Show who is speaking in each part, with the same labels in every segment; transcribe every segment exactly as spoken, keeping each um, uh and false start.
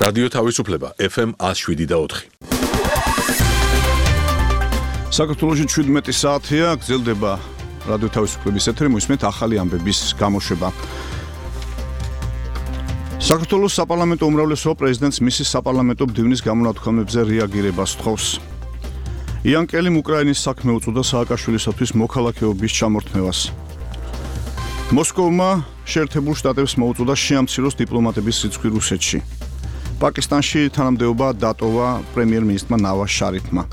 Speaker 1: რადიო თავისუფლება ეფ ემ one oh seven და four.
Speaker 2: საქართველოში შვიდმეტი საათია, გრძელდება რადიო თავისუფლების ეთერი, მოისმენთ ახალი ამბების გამოშვება. საქართველოს საპარლამენტო უმრავლესობა პრეზიდენტს მისი საპარლამენტო მდივნის გამონათქვამებზე რეაგირებას თხოვს. იანკელიმ უკრაინის საქმე უწოდა სააკაშვილისათვის მოქალაქეობის ჩამორთმევას. მოსკოვმა შეერთებულ შტატებს მოუწოდა შეამციროს დიპლომატების რიცხვი რუსეთში. პაკისტანში თანამდებობა დატოვა პრემიერ-მინისტრმა ნავაზ შარიფმა.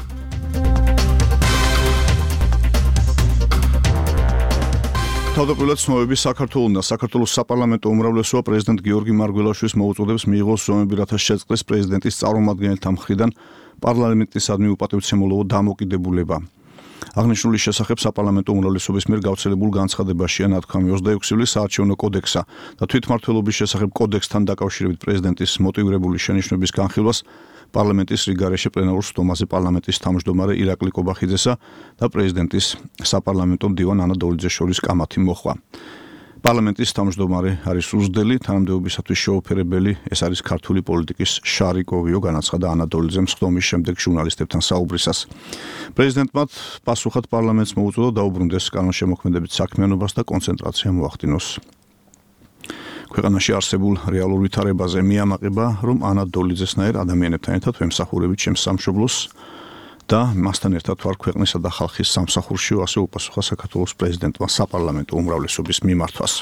Speaker 2: თავდაპირველად ცნობები საქართველოს და საქართველოს საპარლამენტო უმრავლესობა პრეზიდენტ გიორგი მარგველაშვილის მოუწოდებს მიიღოს ზომები, რათა შეწყდეს პრეზიდენტის წარმომადგენელთა მხრიდან პარლამენტისადმი უპატივცემულო დამოკიდებულება. აღნიშნული შესახებ საპარლამენტო უმრავლესობის მიერ გავრცელებულ განცხადებაშია ნათქვამი ოცდაექვსი ივლისის საარჩევნო კოდექსა და თვითმმართველობის შესახებ კოდექსთან დაკავშირებით პრეზიდენტის მოტივირებული შენიშვნების განხილვას პარლამენტის რიგარეშე პლენარულ სტომაზე პარლამენტის თავმჯდომარე ირაკლი კობახიძესა და პრეზიდენტის საპარლამენტო მდივან ანა დოლიძეს შორის კამათი მოხდა. პარლამენტის თავმჯდომარე არის უსდელი, თანამდებობისათვის შეუფერებელი, ეს არის ქართული პოლიტიკის შარიკოვიო, განაცხადა ანა დოლიძემ სხდომის შემდეგ ჟურნალისტებთან საუბრისას. პრეზიდენტმა პასუხად პარლამენტს მოუწოდა დაუბრუნდეს კანონშემოქმედებით საქმიანობას და კონცენტრაცია მოახდინოს. ქვეყანაში არსებულ რეალურ ვითარებაზე მიამაყება, რომ ანა დოლიძესნაირ ადამიანებთან ერთად ვემსახურებით ჩემს სამშობლოს და მასთან ერთად ვარ ქვეყნისა და ხალხის სამსახურში, ასე უპასუხა საქართველოს პრეზიდენტმა საპარლამენტო უმრავლესობის მიმართვას.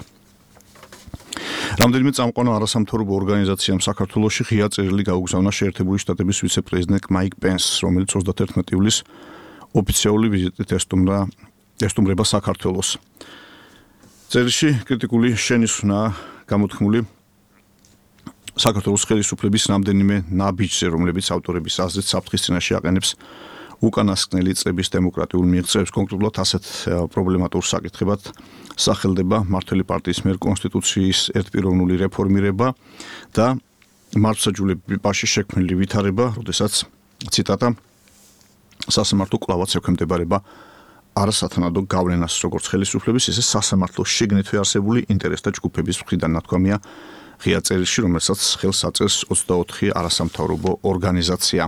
Speaker 2: რამდენიმე წამყვან არასამთავრობო ორგანიზაციამ საქართველოში ღია წერილი გაუგზავნა შეერთებული შტატების ვიცე-პრეზიდენტ მაიკ პენსს, რომელიც ოცდათერთმეტი ივლისს ოფიციალური ვიზიტით ესტუმრა ესტუმრება საქართველოს. წერილში კრიტიკული შენიშვნაა გამოთქმული საქართველოს ხელისუფლების რამდენიმე ნაბიჯზე, რომლებიც ავტორების აზრით საფრთხის წინაშე აყენებს უკანასკნელი წლების დემოკრატიულ მიღწევებს. კონკრეტულად ასეთ პრობლემატურ საკითხებად სახელდება მმართველი პარტიის მიერ კონსტიტუციის ერთპიროვნული რეფორმირება და მართლმსაჯულებაში შექმნილი ვითარება, როდესაც ციტატა სასამართლო კვლავაც ექვემდებარება არასათანადო გავლენას როგორც ხელისუფლების, ისე სასამართლოს შიგნითვე არსებული ინტერესთა ჯგუფების მხრიდან, ნათქვამია ღია წერილში, რომელსაც ხელს აწევს ოცდაოთხი არასამთავრობო ორგანიზაცია.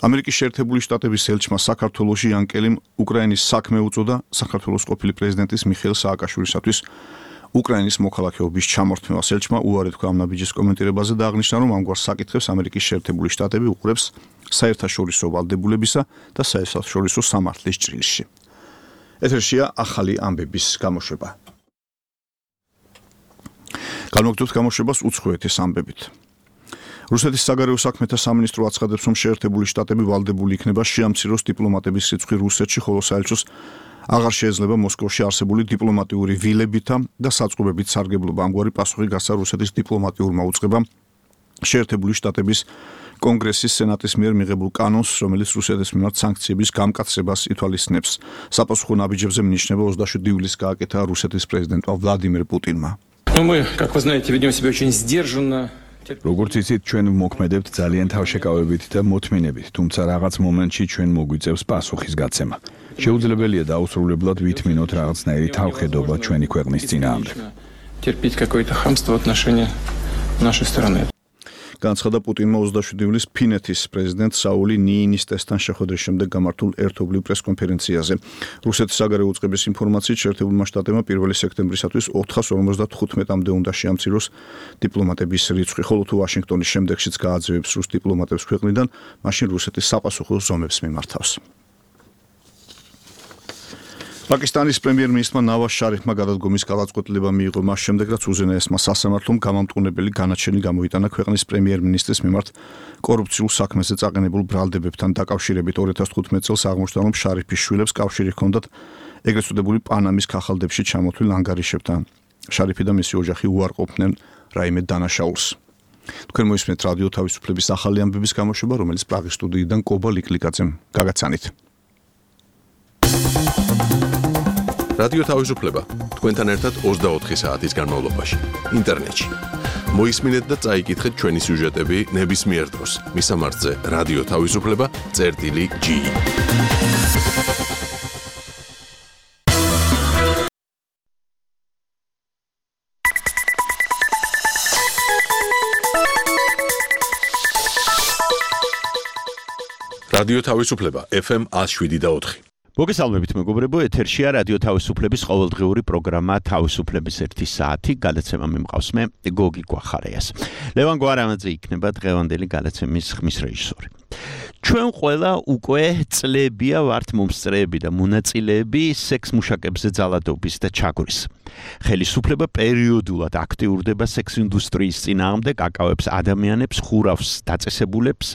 Speaker 2: ამერიკის შეერთებული შტატების ელჩმა საქართველოში იანკელიმ უკრაინის საქმე უწოდა საქართველოს ყოფილი პრეზიდენტის მიხეილ სააკაშვილისათვის უკრაინის მოქალაქეობის ჩამორთმევას. ელჩმა უარი თქვა ამ ნაბიჯის კომენტირებაზე და აღნიშნა, რომ ამგვარ საკითხებს ამერიკის შეერთებული შტატები უყურებს საერთაშორისო ვალდებულებისა და საერთაშორისო სამართლის ჭრილში. ეთერშია ახალი ამბების გამოშვება. განვაგრძობთ გამოშვებას უცხოეთის ამბებით. რუსეთის საგარეო საქმეთა სამინისტრო აცხადებს, რომ შეერთებული შტატები ვალდებული იქნება შეამციროს დიპლომატების რიცხვი რუსეთში, ხოლო საელჩოს აღარ შეეძლება მოსკოვში არსებული დიპლომატიური ვილებითა და საწყობებით სარგებლობა. ამგვარი პასუხი გასცა რუსეთის დიპლომატიურმა უწყებამ შეერთებული შტატების კონგრესის სენატის მიერ მიღებულ კანონს, რომელიც რუსეთის მიმართ სანქციების გამკაცებას ითვალისწინებს. საპასუხო ნაბიჯებზე მინიშნება ოცდაშვიდი ივლისს გააკეთა რუსეთის პრეზიდენტმა ვლადიმირ პუტინმა.
Speaker 3: Мы, как вы знаете, ведем себя очень сдержанно.
Speaker 4: როგორც იცით, ჩვენ მოქმედებთ ძალიან თავშეკავებით და მოთმინებით, თუმცა რაღაც მომენტში ჩვენ მოგვიწევს პასუხის გაცემა. შეუძლებელია დაუსრულებლად ვითმინოთ რაღაცნაირი თავხედობა ჩვენი ქვეყნის წინააღმდეგ.
Speaker 3: Терпеть какое-то хамство в отношении нашей страны.
Speaker 2: განაცხადა პუტინმა ოცდაშვიდი ივლისს ფინეთის პრეზიდენტ საული ნიინისტესთან შეხვედრის შემდეგ გამართულ ერთობლივ პრესკონფერენციაზე. რუსეთის საგარეო უწყების ინფორმაციით შეერთებულმა შტატებმა პირველი სექტემბრისათვის ოთხას ორმოცდათხუთმეტამდე უნდა შეამციროს დიპლომატების რიცხვი, ხოლო თუ ვაშინგტონის შემდეგშიც გააძევებს რუს დიპლომატებს ქვეყნიდან, მაშინ რუსეთის საპასუხო ზომებს მიმართავს. პაკისტანის პრემიერ-მინისტრმა ნავაზ შარიფმა გადადგომის გადაწყვეტილება მიიღო მას შემდეგ, რაც უზენაესმა სასამართლომ გამამტყუნებელი განაჩენი გამოიტანა ქვეყნის პრემიერ-მინისტრის მიმართ კორუფციულ საქმეზე წაყენებულ ბრალდებებთან დაკავშირებით. ორი ათას თხუთმეტი წელს აღმოჩნდა, რომ შარიფის შვილებს კავშირი ჰქონდათ ეგრეთ წოდებული პანამის ქაღალდებში ჩამოთვლილ ანგარიშებთან. შარიფი და მისი ოჯახი უარყოფდნენ რაიმე დანაშაულს. თქვენ მოისმენთ რადიო თავისუფლების ახალი ამბების გამოშვება, რომელიც პრაღის სტუდიიდან კობა ლიკლიკაძემ გაგაცანით.
Speaker 1: რადიო თავისუფლება თქვენთან ერთად ოცდაოთხი საათის განმავლობაში ინტერნეტში. მოისმინეთ და წაიკითხეთ ჩვენი სიუჟეტები ნებისმიერ დროს. მისამართზე რადიო თავისუფლება წერტილი ჯი. რადიო თავისუფლება ეფ ემ one oh seven და four.
Speaker 5: მოგესალმებით მეგობრებო, ეთერშია რადიო თავისუფლების ყოველდღიური პროგრამა თავისუფლების ერთი საათი. გალაცემა მიმყავს მე გოგი გვახარიას. ლევან გვარამაძე იქნება დღევანდელი გალაცემის ხმის რეჟისორი. ჩვენ ყველა უკვე წლებია ვართ მომსწრეები და მონაწილეები სექს მუშაკებზე ძალადობის და ჩაგვრის. ხელისუფლება პერიოდულად აქტიურდება სექს ინდუსტრიის წინააღმდეგ, აკავებს ადამიანებს, ხურავს დაწესებულებს,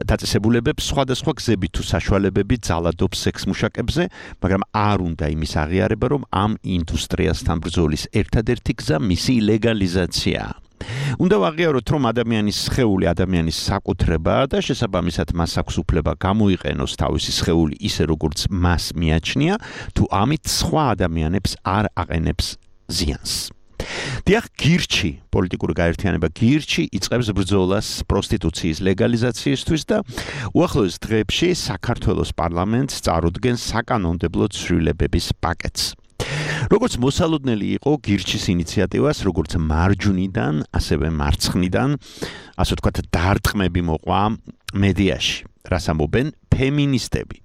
Speaker 5: დაწესებულებებს სხვადასხვა გზებით თუ საშუალებებით ძალადობს სექს მუშაკებზე, მაგრამ არ უნდა იმის აღიარება, რომ ამ ინდუსტრიასთან ბრძოლის ერთადერთი გზა მისი ლეგალიზაციაა. უნდა ვაღიაროთ, რომ ადამიანის სხეული ადამიანის საკუთრებაა და შესაბამისად მას აქვს უფლება გამოიყენოს თავისი სხეული ისე როგორც მას მიაჩნია, თუ ამით სხვა ადამიანებს არ აყენებს ზიანს. დიახ, გირჩი, პოლიტიკური გაერთიანება გირჩი იწყებს ბრძოლას პროსტიტუციის ლეგალიზაციისთვის და უახლოეს დღეებში საქართველოს პარლამენტს წარუდგენს საკანონმდებლო ცვლილებების პაკეტს. როგორც მოსალოდნელი იყო გირჩის ინიციატივას, როგორც მარჯვნიდან, ასევე მარცხნიდან, ასე ვთქვათ, დარტყმები მოყვა მედიაში, რას ამბობენ ფემინისტები.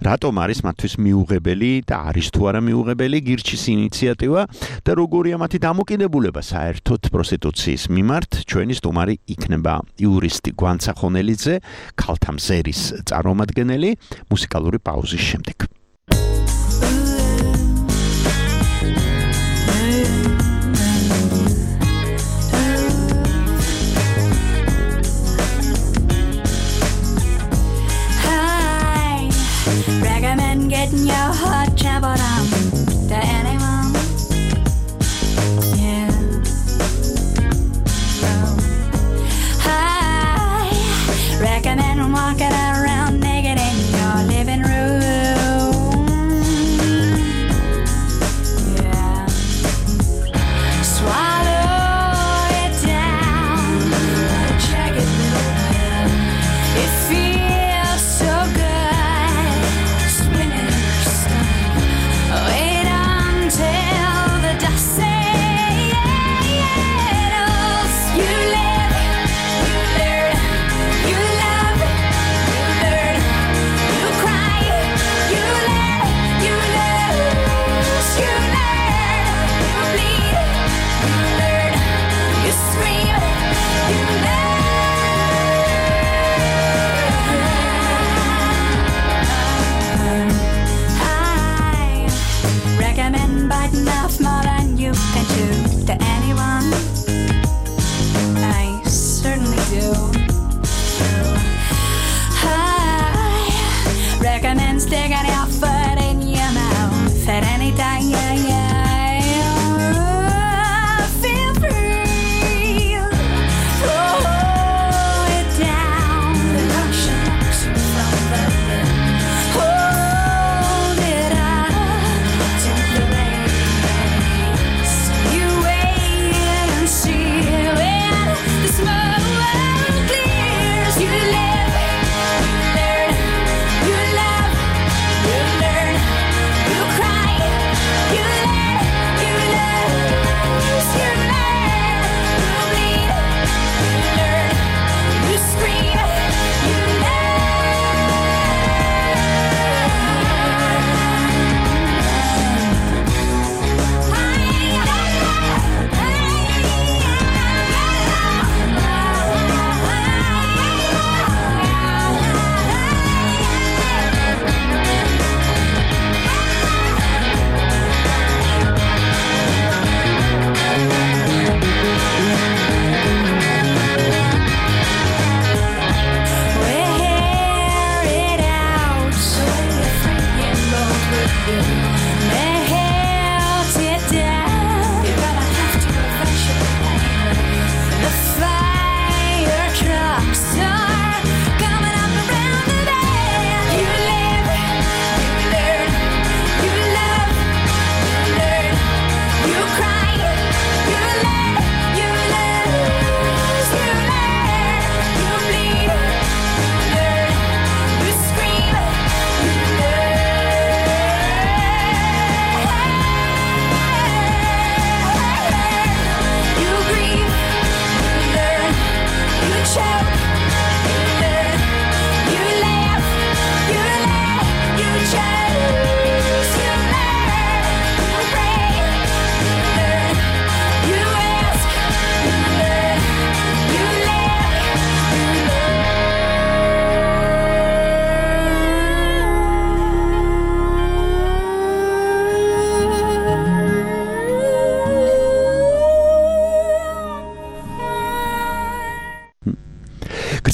Speaker 5: რატომ არის მათთვის მიუღებელი და არის თუ არა მიუღებელი გირჩის ინიციატივა და როგორია მათი დამოკიდებულება საერთოდ პროსტიტუციის მიმართ, ჩვენი სტუმარი იქნება იურისტი გვანცა ხონელიძე, ქალთა მზერის წარმომადგენელი, მუსიკალური პაუზის შემდეგ.
Speaker 6: Getting your heart trampled on to anyone, yeah. Oh. I recommend walking around naked in your living room.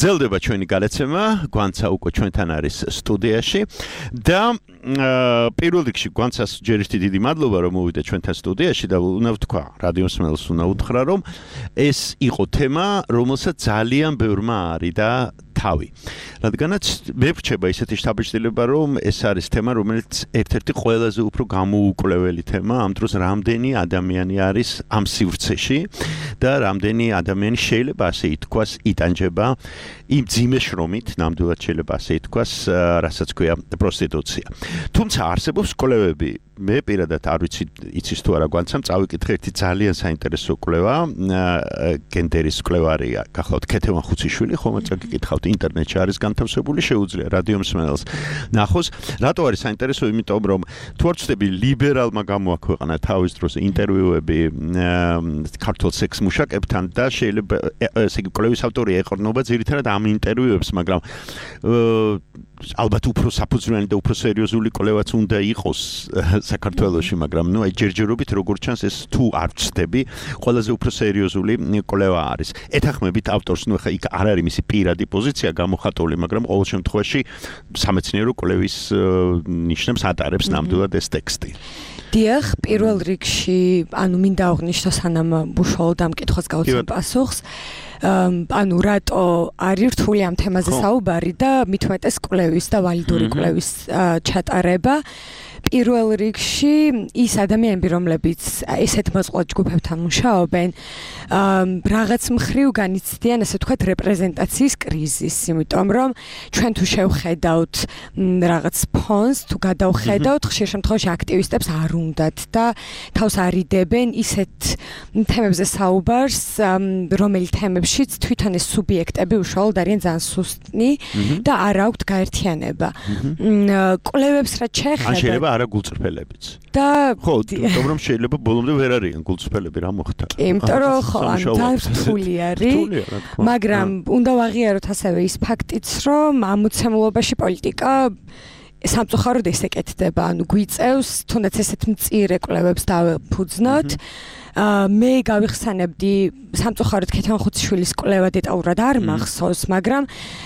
Speaker 5: გრძელდება ჩვენი გადაცემა, გვანცა უკვე ჩვენთან არის სტუდიაში და პირველ რიგში გვანცას ჯერ ერთი დიდი მადლობა რომ მოვიდა ჩვენთან სტუდიაში და უნდა ვთქვა რადიო მსმენელს უნდა უთხრა რომ ეს იყო თემა რომელსაც ძალიან ბევრმა არის და თავი. რადგანაც მე ვრჩება ისეთი შთაბეჭდილება რომ ეს არის თემა რომელიც ერთ-ერთი ყველაზე უფრო გამოუკვლეველი თემა ამ დროს რამდენი ადამიანი არის ამ სივრცეში და რამდენი ადამიანი შეიძლება ასე ითქვას იტანჯება იმ ძიმე შრომით ნამდვილად შეიძლება ასე ითქვას რასაც ქვია პროსტიტუცია. თუმცა არსებობს კვლევები მე პირადად არ ვიცი იცის თუ არა გვანცამ წავიკითხე ერთი ძალიან საინტერესო კვლევა გენდერის კვლევარია გახლავთ ქეთევან ხუციშვილი ხომ წაგიკითხავთ ინტერნეტში არის განთავსებული შეუძლია რადიო მსმენელს ნახოს რატო არის საინტერესო იმიტომ რომ თუ არ ვცდები ლიბერალმა გამოაქვეყნა თავის დროს ინტერვიუები ქართულ სექს მუშაკებთან და შეიძლება ესე იგი კვლევის ავტორი ეყრდნობა ძირითადად ამ ინტერვიუებს მაგრამ ალბათ უფრო საფუძვლიანი და უფრო სერიოზული კვლევაც უნდა იყოს საქართველოში, მაგრამ ნუ აი ჯერჯერობით როგორ ჩანს ეს თუ არ ვწდები, ყველაზე უფრო სერიოზული კვლევა არის. ეთანხმებით ავტორს, ნუ ხა იქ არ არის მისი პირადი პოზიცია გამოხატული, მაგრამ ყოველ შემთხვევაში სამეცნიერო კვლევის ნიშნებს ატარებს ნამდვილად ეს ტექსტი.
Speaker 7: დიახ, პირველ რიგში, ანუ მინდა აღვნიშნო სანამ უშუალოდ ამ კითხვას გავუცემ პასუხს. ანუ რატო არის რთული ამ თემაზე საუბარი და მით უმეტეს კვლევის და ვალიდური კვლევის ჩატარება. პირველ რიგში ის ადამიანები, რომლებიც ესეთ მოწყვლად ჯგუფებთან მუშაობენ, რაღაც მხრივ განიცდიან, ასე ვთქვათ, რეპრეზენტაციის კრიზისს, იმიტომ რომ ჩვენ თუ შევხედავთ რაღაც ფონს, თუ გადავხედავთ, ხშირ შემთხვევაში აქტივისტებს არ უნდათ და თავს არიდებენ ისეთ თემებზე საუბარს, რომელი თემებშიც თვითონ ეს სუბიექტები უშუალოდ არიან ძალიან სუსტნი და არ აქვთ გაერთიანება. კვლევებს რაც შეეხება
Speaker 5: არა გულწრფელებიც.
Speaker 7: და
Speaker 5: ხო, თუმცა რომ შეიძლება ბოლომდე ვერ არიან გულწრფელები რა მოხდა.
Speaker 7: კი, იმიტომ რომ ხო, ან ძალიან რთული არის. მაგრამ უნდა ვაღიაროთ ასევე ის ფაქტიც, რომ ამ მოცემულობაში პოლიტიკა სამწუხაროდ ესეკეთდება, ანუ გვიწევს თუნდაც ესეთ მწირე კვლევებს დავფუძნოთ. მე გავიხსენებდი სამწუხაროდ ქეთევან ხუციშვილის კვლევა დეტალურად არ მახსოვს, მაგრამ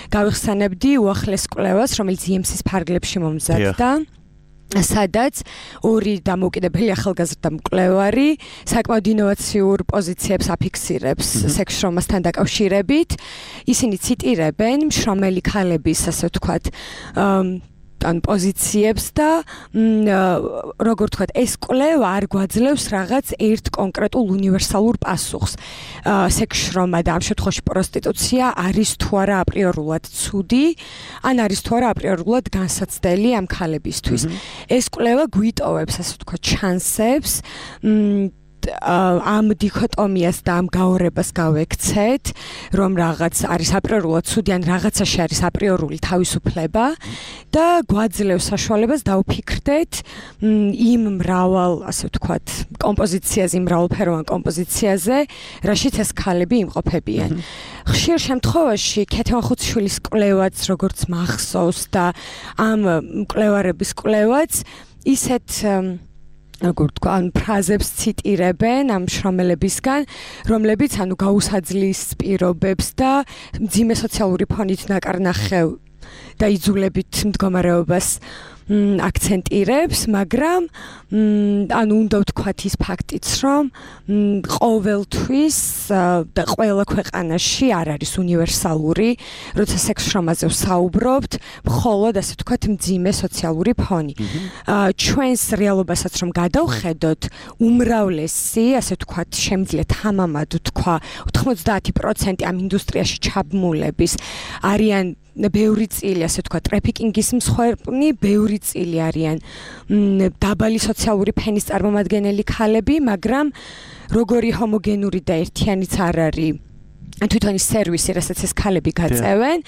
Speaker 7: გავიხსენებდი უახლეს კვლევას, რომელიც ი ემ სის ფარგლებში მომზადდა. სადაც ორი დამოუკიდებელი ახალგაზრდა მკვლევარი საკმაოდ ინოვაციურ პოზიციებს აფიქსირებს სექს შრომასთან დაკავშირებით. ისინი ციტირებენ მშრომელი ქალების, ასე ვთქვათ, ან პოზიციებს და როგორ ვთქვათ, ეს კვლევა არ გვაძლევს რაღაც ერთ კონკრეტულ უნივერსალურ პასუხს. სექს შრომა და ამ შემთხვევაში პროსტიტუცია არის თუ არა აპრიორულად ცუდი, ან არის თუ არა აპრიორულად განსაცდელი ამ ქალებისთვის. ეს კვლევა გვიტოვებს, ასე ვთქვათ, შანსებს ამ დიქოტომიას და ამ გაორებას გავექცეთ, რომ რაღაც არის აპრიორულად ცუდი ან რაღაცაში არის აპრიორული თავისუფლება და გვაძლევს საშუალებას დავფიქრდეთ იმ მრავალ, ასე ვთქვათ, კომპოზიციაზე, მრავალფეროვან კომპოზიციაზე, რაშიც ეს ქალები იმყოფებიან. ხშირ შემთხვევაში ქეთევან ხუციშვილის კვლევაც, როგორც მახსოვს და ამ მკვლევარების კვლევაც ისეთ როგორ თქვა, ან ფრაზებს ციტირებენ ამ შრომელებისგან, რომლებიც ანუ გაუსაძლის პირობებს და მძიმე სოციალური ფონით ნაკარნახევ და იძულებით მდგომარეობას აქცენტირებს, მაგრამ ანუ უნდა ვთქვათ ის ფაქტიც, რომ ყოველთვის და ყველა ქვეყანაში არ არის უნივერსალური, როცა სექს შრომაზე ვსაუბრობთ, მხოლოდ ასე ვთქვათ მძიმე სოციალური ფონი. ჩვენს რეალობასაც რომ გადავხედოთ, უმრავლესი, ასე ვთქვათ, შემიძლია თამამად ვთქვა, ოთხმოცდაათი პროცენტი ამ ინდუსტრიაში ჩაბმულების არიან ბევრი წილი, ასე ვთქვათ, ტრაფიკინგის მსხვერპლი, ბევრი წილი არიან დაბალი სოციალური ფენის წარმომადგენელი ქალები, მაგრამ როგორი ჰომოგენური და ერთიანიც არ არის თვითონ ის სერვისი, რასაც ეს ქალები გაწევენ,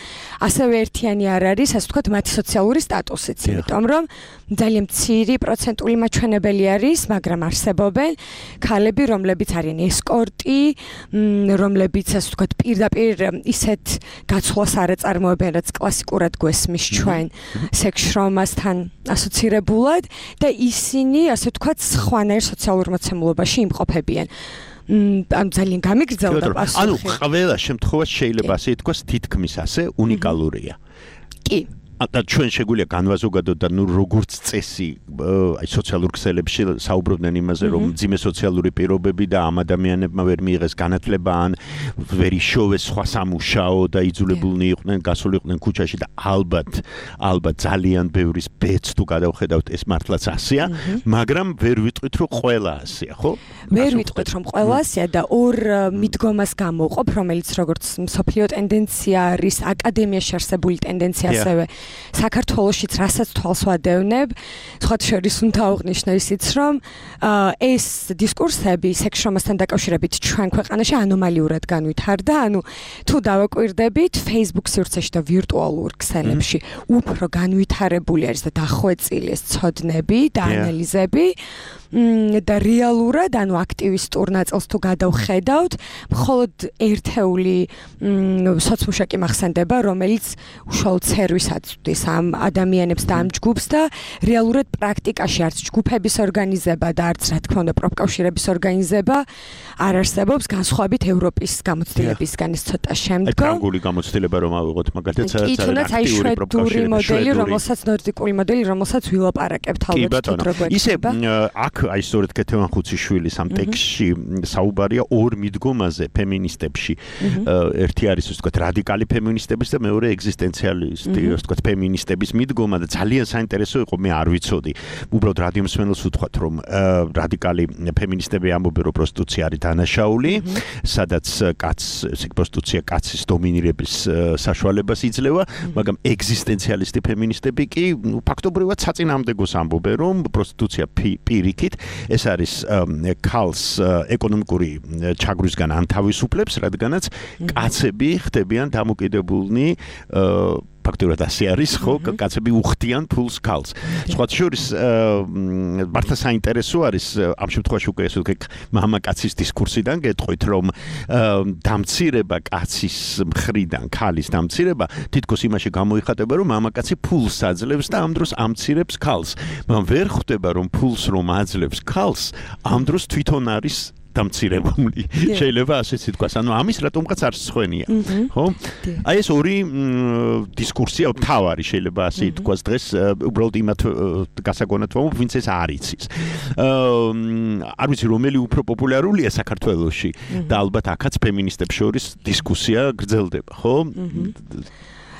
Speaker 7: ასევე ერთიანი არ არის, ასე ვთქვათ, მათი სოციალური სტატუსიც, იმიტომ რომ ძალიან მცირე პროცენტული მაჩვენებელი არის, მაგრამ არსებობენ ქალები, რომლებიც არიან ესკორტი, რომლებიც, ასე ვთქვათ, პირდაპირ ისეთ გაცვლას არ აწარმოებენ, რაც კლასიკურად გვესმის ჩვენ სექს შრომასთან ასოცირებულად და ისინი, ასე ვთქვათ, სხვანაირ სოციალურ მოცემულობაში იმყოფებიან. ანუ ძალიან გამიგრძელდა პასუხი.
Speaker 5: ანუ ყველა შემთხვევაში შეიძლება ასე ითქვას თითქმის ასე უნიკალურია.
Speaker 7: კი.
Speaker 5: და ჩვენ შეგვიძლია განვაზოგადოთ და ნუ როგორც წესი აი სოციალურ ქსელებში საუბრობდნენ იმაზე რომ მძიმე სოციალური პირობები და ამ ადამიანებმა ვერ მიიღეს განათლება ან ვერ იშოვეს სხვა სამუშაო და იძულებულნი იყვნენ გასულიყვნენ ქუჩაში და ალბათ ალბათ ძალიან ბევრის ბედს თუ გადავხედავთ ეს მართლაც ასეა მაგრამ ვერ ვიტყვით რომ ყველა ასეა ხო
Speaker 7: ვერ ვიტყვით რომ ყველა ასეა და ორ მიდგომას გამოვყოფ რომელიც როგორც მსოფლიო ტენდენცია არის აკადემიაში არსებული ტენდენცია ასევე საქართველოშიც რასაც თვალს ვადევნებ, სხვათა შორის უნდა აღვნიშნო ისიც, რომ ეს დისკურსები სექს-შრომასთან დაკავშირებით ჩვენ ქვეყანაში ანომალიურად განვითარდა, ანუ თუ დავაკვირდებით Facebook სივრცეში და ვირტუალურ ქსელებში უფრო განვითარებული არის და დახვეწილი ეს ცოდნები და ანალიზები და რეალურად, ანუ აქტივისტურ ნაწილს თუ გადავხედავთ, მხოლოდ ერთეული სოციმუშაკი მახსენდება, რომელიც უშუალოდ სერვისს აწვდის ამ ადამიანებს და ამ ჯგუფს და რეალურად პრაქტიკაში არც ჯგუფების ორგანიზება და არც რა თქმა უნდა პროფკავშირების ორგანიზება არ არსებობს, განსხვავებით ევროპის გამოცდილებისგან ეს ცოტა შემდგომ.
Speaker 5: აი ფრანგული გამოცდილება რომ ავიღოთ მაგალითად
Speaker 7: სადაც არის აქტიური პროფკავშირები, მოდელი, რომელსაც ნორდიკული მოდელი, რომელსაც ვილაპარაკებთ ალბათ თუ როგორ
Speaker 5: ისე აქ აი სწორედ კეთევან ხუციშვილის ამ ტექსტში საუბარია ორ მიდგომაზე ფემინისტებში. ერთი არის ასე ვთქვათ რადიკალი ფემინისტების და მეორე ეგზისტენციალისტი, ასე ვთქვათ ფემინისტების მიდგომა და ძალიან საინტერესო იყო, მე არ ვიცოდი. უბრალოდ რადიო მსმენელს ვთქვათ, რომ რადიკალი ფემინისტები ამბობენ, რომ პროსტიტუცია არის დანაშაული, სადაც კაცს, ესე პროსტიტუცია კაცის დომინირების საშუალებას იძლევა, მაგრამ ეგზისტენციალისტი ფემინისტები კი ფაქტობრივად საწინააღმდეგოს ამბობენ, რომ პროსტიტუცია პირიქით ეს არის ქალს ეკონომიკური ჩაგვისგან ანთავისუფლებს, რადგანაც კაცები ხდებიან დამოკიდებულნი ფაქტობრივად ასე არის, ხო, კაცები უხდიან ფულს ქალს. სხვათა შორის მართლა საინტერესო არის ამ შემთხვევაში უკვე ესე ვთქვი მამაკაცის დისკურსიდან გეტყვით, რომ დამცირება კაცის მხრიდან, ქალის დამცირება თითქოს იმაში გამოიხატება, რომ მამაკაცი ფულს აძლევს და ამ დროს ამცირებს ქალს. მაგრამ ვერ ხვდება, რომ ფულს რომ აძლევს ქალს, ამ დროს თვითონ არის დამცირებული. შეიძლება ასეც ითქვას. ანუ ამის რატომღაც არ სხენია. ხო? აი ეს ორი დისკურსია თავარი შეიძლება ასე ითქვას დღეს უბრალოდ იმათ გასაგონად ვამბობ, ვინც ეს არ იცის. არ ვიცი რომელი უფრო პოპულარულია საქართველოში და ალბათ აქაც ფემინისტებს შორის დისკუსია გრძელდება, ხო?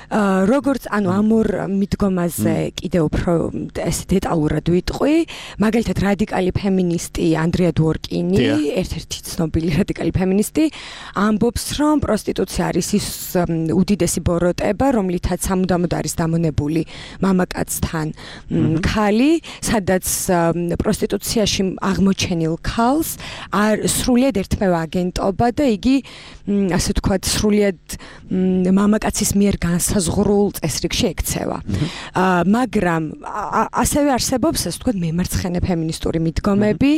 Speaker 7: როგორც ანუ ამ ორ მიდგომაზე კიდევ უფრო ეს დეტალურად ვიტყვი, მაგალითად რადიკალი ფემინისტი ანდრია დვორკინი, ერთ-ერთი ცნობილი რადიკალი ფემინისტი, ამბობს, რომ პროსტიტუცია არის ის უდიდესი ბოროტება, რომლითაც სამუდამოდ არის დამონებული მამაკაცთან ქალი, სადაც პროსტიტუციაში აღმოჩენილ ქალს არ სრულიად ერთმევა აგენტობა და იგი ასე ვთქვათ სრულიად მამაკაცის მიერ განსაზღვრულ წესრიგში ექცევა. მაგრამ ასევე არსებობს ასე ვთქვათ მემარცხენე ფემინისტური მიდგომები,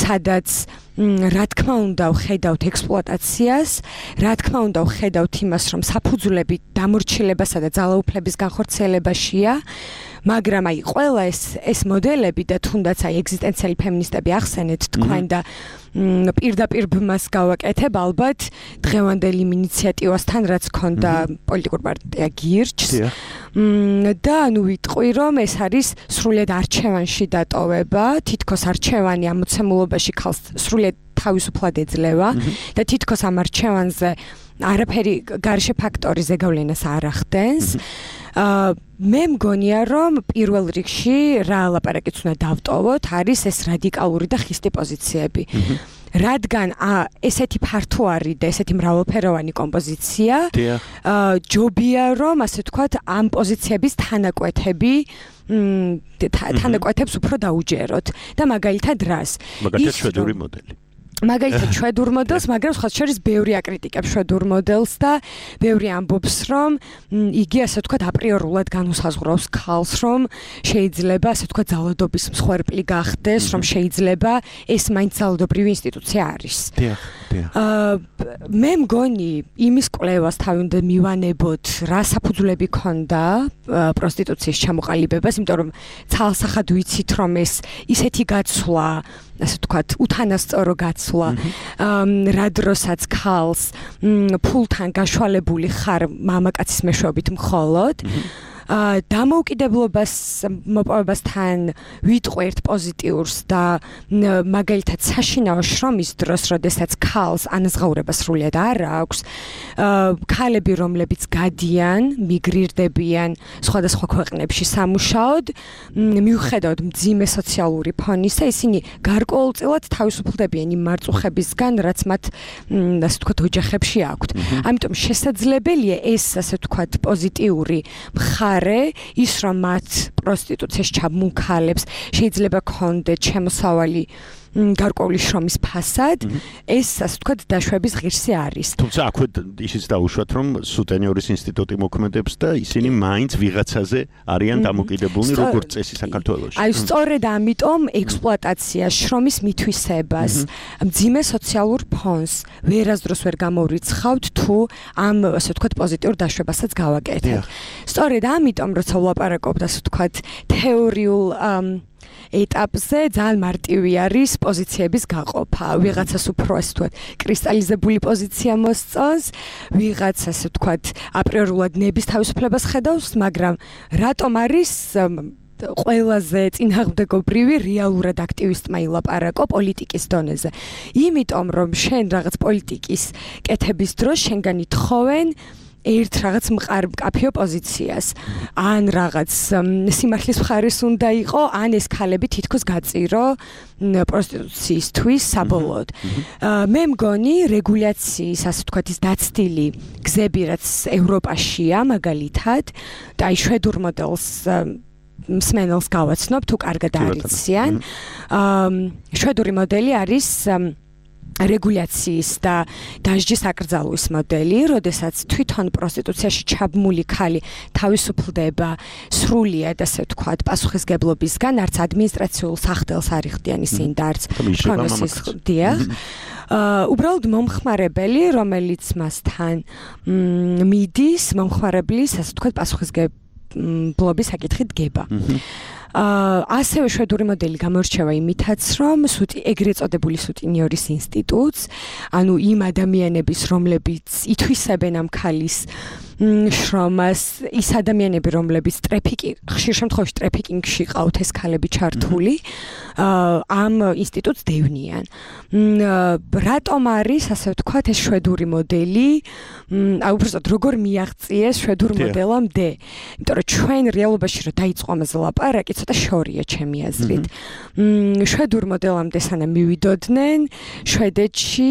Speaker 7: სადაც რა თქმა უნდა ვხედავთ ექსპლუატაციას, რა თქმა უნდა ვხედავთ იმას, რომ საფუძვლები დამორჩილებასა და ძალაუფლების განხორციელებაშია, მაგრამ აი ყველა ეს ეს მოდელები და თუნდაც აი ეგზისტენციალი ფემინისტები ახსენეთ თქვენ და პირდაპირ ბმას გავაკეთებ ალბათ დღევანდელი ინიციატივასთან რაც ქონდა პოლიტიკურ პარტია გირჩს და ანუ ვიტყვი რომ ეს არის სრულიად არჩევანში დატოვება, თითქოს არჩევანი ამოცემულობაში ქალს სრულიად თავისუფლად ეძლევა და თითქოს ამ არჩევანზე არაფერი გარშე ფაქტორი ზეგავლენას არ ახდენს. მე მგონია რომ პირველ რიგში რა ლაპარაკიც უნდა დავტოვოთ არის ეს რადიკალური და ხისტი პოზიციები. რადგან ესეთი ფართოარი და ესეთი მრავალფეროვანი კომპოზიცია ჯობია რომ ასე ვთქვათ ამ პოზიციების თანაკვეთები თანაკვეთებს უფრო დაუჯეროთ და მაგალითად რას?
Speaker 5: მაგალითად შვედური მოდელი.
Speaker 7: მაგალითად შვედურ მოდელს, მაგრამ სხვა შორის ბევრი აკრიტიკებს შვედურ მოდელს და ბევრი ამბობს, რომ იგი ასე ვთქვათ აპრიორულად განუსაზღვრავს ქალს, რომ შეიძლება ასე ვთქვათ ძალადობის მსხვერპლი გახდეს, რომ შეიძლება ეს მაინც ძალადობრივი ინსტიტუცია არის.
Speaker 5: დიახ, დიახ.
Speaker 7: მე მგონი იმის კვლევას თავი უნდა მივანებოთ, რა საფუძვლები ქონდა პროსტიტუციის ჩამოყალიბებას, იმიტომ რომ ცალსახად ვიცით, რომ ეს ისეთი გაცვლა ასე ვთქვათ, უთანასწორო გაცვლა, რა დროსაც ქალს ფულთან გაშვალებული ხარ მამაკაცის მეშვეობით მხოლოდ დამოუკიდებლობას მოპოვებასთან ვიტყვერთ პოზიტიურს და მაგალითად საშინაო შრომის დროს, როდესაც ქალს ანაზღაურება სრულად არ აქვს, ქალები, რომლებიც გადიან, მიგრირდებიან სხვადასხვა ქვეყნებში სამუშაოდ, მიუხედავად მძიმე სოციალური ფონისა, ისინი გარკვეულწილად თავისუფლდებიან იმ მარწუხებისგან, რაც მათ, ასე ვთქვათ, ოჯახებში აქვთ. ამიტომ შესაძლებელია ეს, ასე ვთქვათ, პოზიტიური მხარე ის რომ მათ პროსტიტუციაში ჩაბმულ ქალებს შეიძლება ქონდეთ შემოსავალი გარკვეული შრომის ფასად, ეს ასე ვთქვათ დაშვების ღირსი არის.
Speaker 5: თუმცა აქვე ისიც დაუშვათ, რომ სუტენიორის ინსტიტუტი მოქმედებს და ისინი მაინც ვიღაცაზე არიან დამოკიდებულნი, როგორც წესი საქართველოში.
Speaker 7: აი სწორედ ამიტომ ექსპლუატაცია, შრომის მითვისებას, მძიმე სოციალურ ფონს ვერასდროს ვერ გამორიცხავთ თუ ამ ასე ვთქვათ პოზიტიურ დაშვებასაც გავაკეთებთ. სწორედ ამიტომ როცა ვლაპარაკობთ ასე ვთქვათ თეორიულ ეტაპზე ძალიან მარტივი არის პოზიციების გაყოფა. ვიღაცას უფრო ასე ვთქვათ, კრისტალიზებული პოზიცია მოსწონს, ვიღაც ასე ვთქვათ, აპრიორულად ნების თავისუფლებას ხედავს, მაგრამ რატომ არის ყველაზე წინააღმდეგობრივი რეალურად აქტივისტმა ილაპარაკო პოლიტიკის დონეზე. იმიტომ რომ შენ რაღაც პოლიტიკის კეთების დროს შენგან ითხოვენ ერთ რაღაც მყარ-მკაფიო პოზიციას. ან რაღაც სიმართლის მხარეს უნდა იყო, ან ეს ქალები თითქოს გაწირო პროსტიტუციისთვის საბოლოოდ. მე მგონი რეგულაციის, ასე ვთქვათ, ის დაცდილი გზები, რაც ევროპაშია, მაგალითად, და აი შვედურ მოდელს მსმენელს გავაცნობ, თუ კარგად არიციან. შვედური მოდელი არის რეგულაციის და დასჯის აკრძალვის მოდელი, როდესაც თვითონ პროსტიტუციაში ჩაბმული ქალი თავისუფლდება სრულიად, ასე ვთქვათ, პასუხისგებლობისგან, არც ადმინისტრაციულ სახდელს არ იხდიან ისინი და არც ქონოსის დიახ. უბრალოდ მომხმარებელი, რომელიც მასთან მიდის, მომხმარებლის, ასე ვთქვათ, პასუხისგებლობის საკითხი დგება. ასევე შვედური მოდელი გამორჩევა იმითაც, რომ ეგრეთ წოდებული სუტენიორის ინსტიტუტს, ანუ იმ ადამიანების, რომლებიც ითვისებენ ამ ქალის შრომას, ის ადამიანები, რომლებიც ტრაფიკი, ხშირ შემთხვევაში ტრაფიკინგში ყავთ ეს ქალები ჩართული, ამ ინსტიტუტს დევნიან. რატომ არის, ასე ვთქვათ, ეს შვედური მოდელი, აი უბრალოდ როგორ მიაღწიეს შვედურ მოდელამ დე? იმიტომ რომ ჩვენ რეალობაში რა დაიწყო ამაზე ლაპარაკი, ცოტა შორია ჩემი აზრით. შვედურ მოდელამდე სანამ მივიდოდნენ, შვედეთში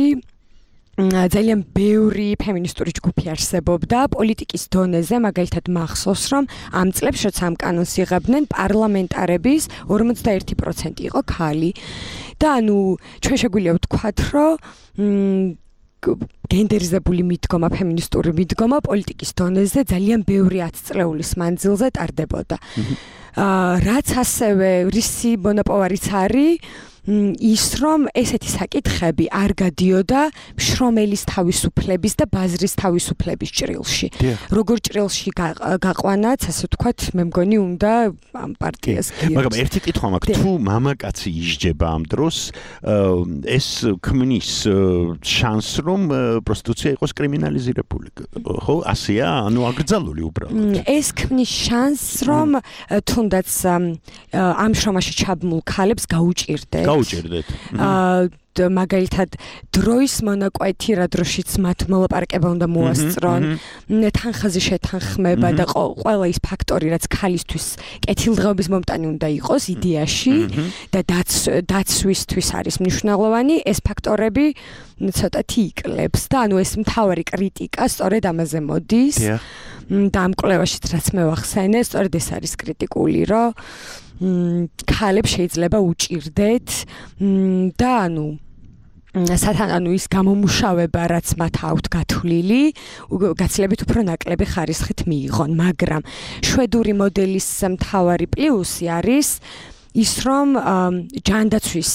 Speaker 7: ძალიან ბევრი ფემინისტური ჯგუფი არსებობდა პოლიტიკის დონეზე, მაგალითად მახსოვს, რომ ამ წლებს, როცა ამ კანონს იღებდნენ, პარლამენტარების ორმოცდაერთი პროცენტი იყო ქალი. და ანუ ჩვენ შეგვიძლია ვთქვათ, რომ გენდერიზებული მიდგომა, ფემინისტური მიდგომა პოლიტიკის დონეზე ძალიან ბევრი ათწლეულის მანძილზე ტარდებოდა. რაც ასევე რისი მონოპოვარიც არის ის რომ ესეთი საკითხები არ გადიოდა შრომელის თავისუფლების და ბაზრის თავისუფლების ჭრილში. როგორ ჭრილში გაყვანაც, ასე ვთქვათ, მე მგონი უნდა ამ პარტიას გიებს.
Speaker 5: მაგრამ ერთი კითხვა მაქვს, თუ მამაკაცი ისჯება ამ დროს, ეს ქმნის შანსს, რომ პროსტიტუცია იყოს კრიმინალიზირებული. ხო, ასეა, ანუ აკრძალული უბრალოდ.
Speaker 7: ეს ქმნის შანსს, რომ თუნდაც ამ შრომაში ჩაბმულ ქალებს გაუჭირდეთ.
Speaker 5: გაუჭირდეთ.
Speaker 7: მაგალითად დროის მონაკვეთი რა დროშიც მათ მოლაპარაკება უნდა მოასწრონ, თანხაზე შეთანხმება და ყველა ის ფაქტორი, რაც ქალისთვის კეთილდღეობის მომტანი უნდა იყოს იდეაში და დაცვისთვის არის მნიშვნელოვანი, ეს ფაქტორები ცოტათი იკლებს და ანუ ეს მთავარი კრიტიკა სწორედ ამაზე მოდის. და ამ კვლევაშიც რაც მე ვახსენე, სწორედ ეს არის კრიტიკული, რომ ქალებს შეიძლება უჭირდეთ და ანუ სათანადო ანუ ის გამომუშავება, რაც მათ აქვთ გათვლილი, გაცილებით უფრო ნაკლები ხარისხით მიიღონ, მაგრამ შვედური მოდელის მთავარი პლუსი არის ის რომ ჯანდაცვის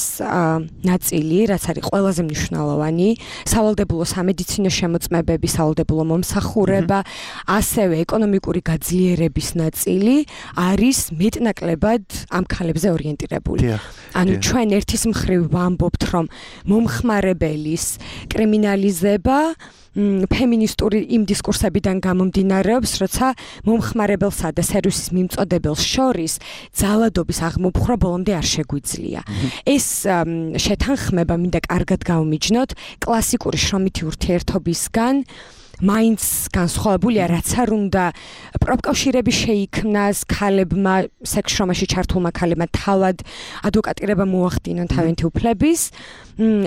Speaker 7: ნაწილი, რაც არის ყველაზე მნიშვნელოვანი, სავალდებულო სამედიცინო შემოწმებები, სავალდებულო მომსახურება, ასევე ეკონომიკური გაძლიერების ნაწილი არის მეტნაკლებად ამ ქალებზე ორიენტირებული. ანუ ჩვენ ერთის მხრივ ვამბობთ, რომ მომხმარებელის კრიმინალიზება ფემინისტური იმ დისკურსებიდან გამომდინარეობს, როცა მომხმარებელსა და სერვისის მიმწოდებელს შორის ძალადობის აღმოფხვრა ბოლომდე არ შეგვიძლია. ეს შეთანხმება მინდა კარგად გავმიჯნოთ კლასიკური შრომითი ურთიერთობისგან მაინც განსხვავებულია, რაც არ უნდა პროფკავშირები შეიქმნას ქალებმა, სექს შრომაში ჩართულმა ქალებმა თავად ადვოკატირება მოახდინონ თავიანთი უფლების.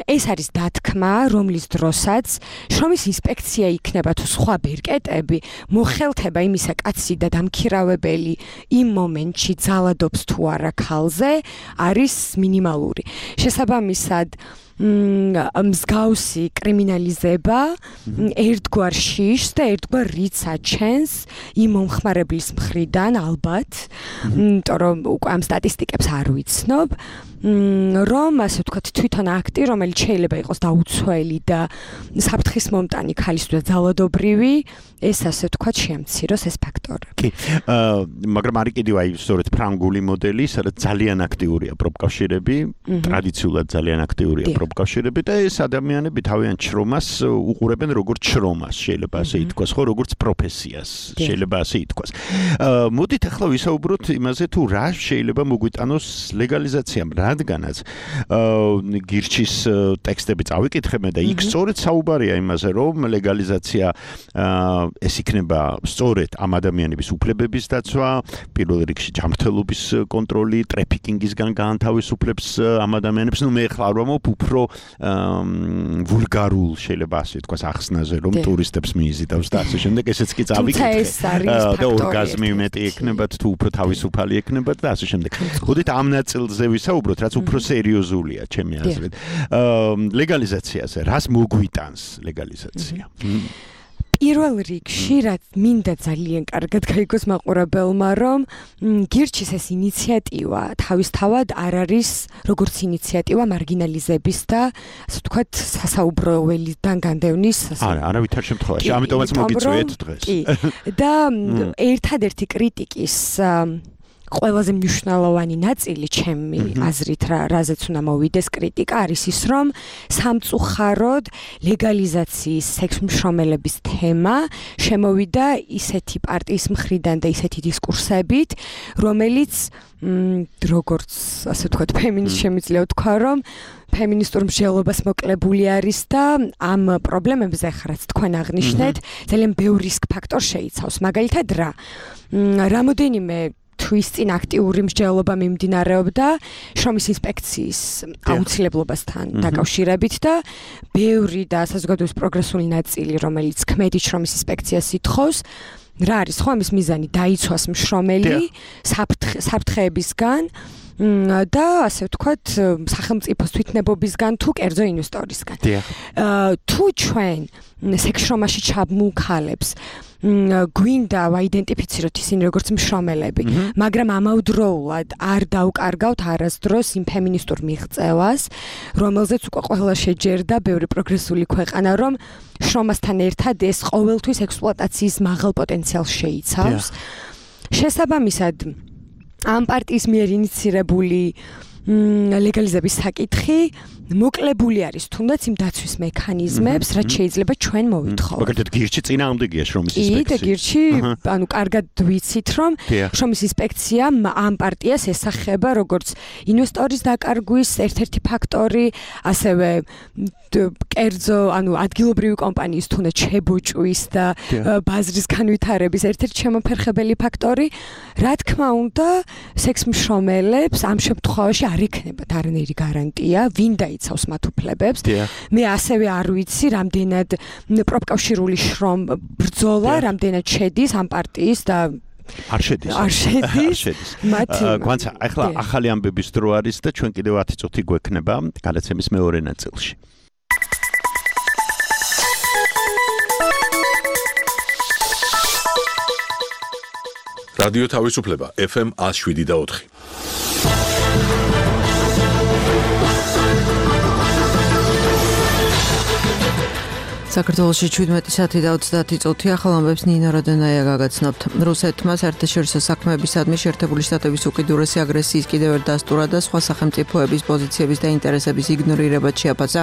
Speaker 7: ეს არის დათქმა, რომლის დროსაც შრომის ინსპექცია იქნება თუ სხვა ბერკეტები, მოხელთება იმისა კაცი და დამქირავებელი იმ მომენტში ძალადობს თუ არა ქალზე, არის მინიმალური. შესაბამისად, მსგავსი კრიმინალიზება ერთგვარ შიშს და ერთგვარ რიცს აჩენს იმ მომხმარებლის მხრიდან ალბათ, იმიტომ რომ უკვე ამ სტატისტიკებს არ ვიცნობ, რომ ასე ვთქვათ თვითონ აქტი, რომელიც შეიძლება იყოს დაუცველი და საფრთხის მომტანი ქალისთვის ძალადობრივი, ეს ასე ვთქვათ შეამციროს ეს ფაქტორი.
Speaker 5: კი, მაგრამ არის კიდევ აი სწორედ ფრანგული მოდელი, სადაც ძალიან აქტიურია პროფკავშირები, ტრადიციულად ძალიან აქტიურია პროფკავშირები და ეს ადამიანები თავიანთ შრომას უყურებენ როგორც შრომას, შეიძლება ასე ითქვას, ხო, როგორც პროფესიას, შეიძლება ასე ითქვას. მოდით ახლა ვისაუბროთ იმაზე, თუ რა შეიძლება მოგვიტანოს ლეგალიზაციამ, რადგანაც გირჩის ტექსტები წავიკითხებენ და იქ სწორედ საუბარია იმაზე, რომ ლეგალიზაცია ეს იქნება სწორედ ამ ადამიანების უფლებების დაცვა, პირველ რიგში ჯანმრთელობის კონტროლი, ტრაფიკინგისგან გაანთავისუფლებს ამ ადამიანებს. ნუ მე ახლა არ ვამბობ უფრო ვულგარულ შეიძლება ასე თქვას ახსნაზე, რომ ტურისტებს მიიზიდავს და ასე შემდეგ, ესეც კი წავიკითხე. და ორგაზმი მეტი ექნებათ თუ უფრო თავისუფალი ექნებათ და ასე შემდეგ. ხოდით ამ ნაწილზე ვისაუბროთ, რაც უფრო სერიოზულია, ჩემი აზრით. ლეგალიზაციაზე, რას მოგვიტანს ლეგალიზაცია?
Speaker 7: პირველ რიგში, რაც მინდა ძალიან კარგად გაიგოს მაყურებელმა, რომ გირჩის ეს ინიციატივა თავისთავად არ არის როგორც ინიციატივა მარგინალიზების და ასე ვთქვათ სასაუბროველიდან განდევნის.
Speaker 5: არა, არავითარ შემთხვევაში. ამიტომაც მოგიწვიეთ დღეს.
Speaker 7: კი. და ერთადერთი კრიტიკის ყველაზე მნიშვნელოვანი ნაწილი ჩემი აზრით, რაზეც უნდა მოვიდეს კრიტიკა, არის ის, რომ სამწუხაროდ ლეგალიზაციის სექსმშრომელების თემა შემოვიდა ისეთი პარტიის მხრიდან და ისეთი დისკურსებით, რომელიც როგორც ასე ვთქვათ, ფემინისტ შემიძლია ვთქვა, რომ ფემინისტურ მსჯელობას მოკლებული არის და ამ პრობლემებზე ხარაც თქვენ აღნიშნეთ, ძალიან ბევრი რისკ ფაქტორ შეიცავს. მაგალითად რა? რამოდენიმე თვის წინ აქტიური მსჯელობა მიმდინარეობდა შრომის ინსპექციის აუცილებლობასთან დაკავშირებით და ბევრი და საზოგადოების პროგრესული ნაწილი, რომელიც ქმედით შრომის ინსპექციას ითხოვს, რა არის ხო ამის მიზანი? დაიცვას მშრომელი საფრთხეებისგან და ასე ვთქვათ, სახელმწიფოს თვითნებობისგან თუ კერძო ინვესტორისგან. თუ ჩვენ სექსშრომაში ჩაბმულ ქალებს გვინდა ვაიდენტიფიციროთ ისინი როგორც მშრომელები, მაგრამ ამავდროულად არ დავკარგავთ არასდროს იმ ფემინისტურ მიღწევას, რომელზეც უკვე ყველა შეჯერდა ბევრი პროგრესული ქვეყანა, რომ შრომასთან ერთად ეს ყოველთვის ექსპლუატაციის მაღალ პოტენციალს შეიცავს. შესაბამისად, ამ პარტიის მიერ ინიცირებული ლეგალიზების საკითხი მოკლებული არის თუნდაც იმ დაცვის მექანიზმებს, რაც შეიძლება ჩვენ მოვითხოვოთ.
Speaker 5: მაგალითად, გირჩი წინააღმდეგია შრომის ინსპექციის.
Speaker 7: კი, და გირჩი, ანუ კარგად ვიცით, რომ შრომის ინსპექცია ამ პარტიას ესახება როგორც ინვესტორის დაკარგვის ერთ-ერთი ფაქტორი, ასევე კერძო, ანუ ადგილობრივი კომპანიის თუნდაც შებოჭვის და ბაზრის განვითარების ერთ-ერთი შემოფერხებელი ფაქტორი. რა თქმა უნდა, სექსმშრომელებს ამ შემთხვევაში არ ექნებათ არანაირი გარანტია, ვინ დაიცავს მათ უფლებებს. მე ასევე არ ვიცი, რამდენად პროფკავშირული შრომ ბრძოლა, რამდენად შედის ამ პარტიის და
Speaker 5: არ შედის.
Speaker 7: არ შედის.
Speaker 5: გვანცა, ახლა ახალი ამბების დრო არის და ჩვენ კიდევ ათი წუთი გვექნება გადაცემის მეორე ნაწილში. რადიო თავისუფლება, ეფ ემ one oh seven და four.
Speaker 8: საქართველოში შვიდმეტი საათი და ოცდაათი წუთი ახალ ამბებს ნინა როდენაია გაგაცნობთ. რუსეთმა საერთაშორისო საქმეებისადმი შეერთებული შტატების უკიდურესი აგრესიის კიდევ ერთ დასტურა და სხვა სახელმწიფოების პოზიციების და ინტერესების იგნორირებად შეაფასა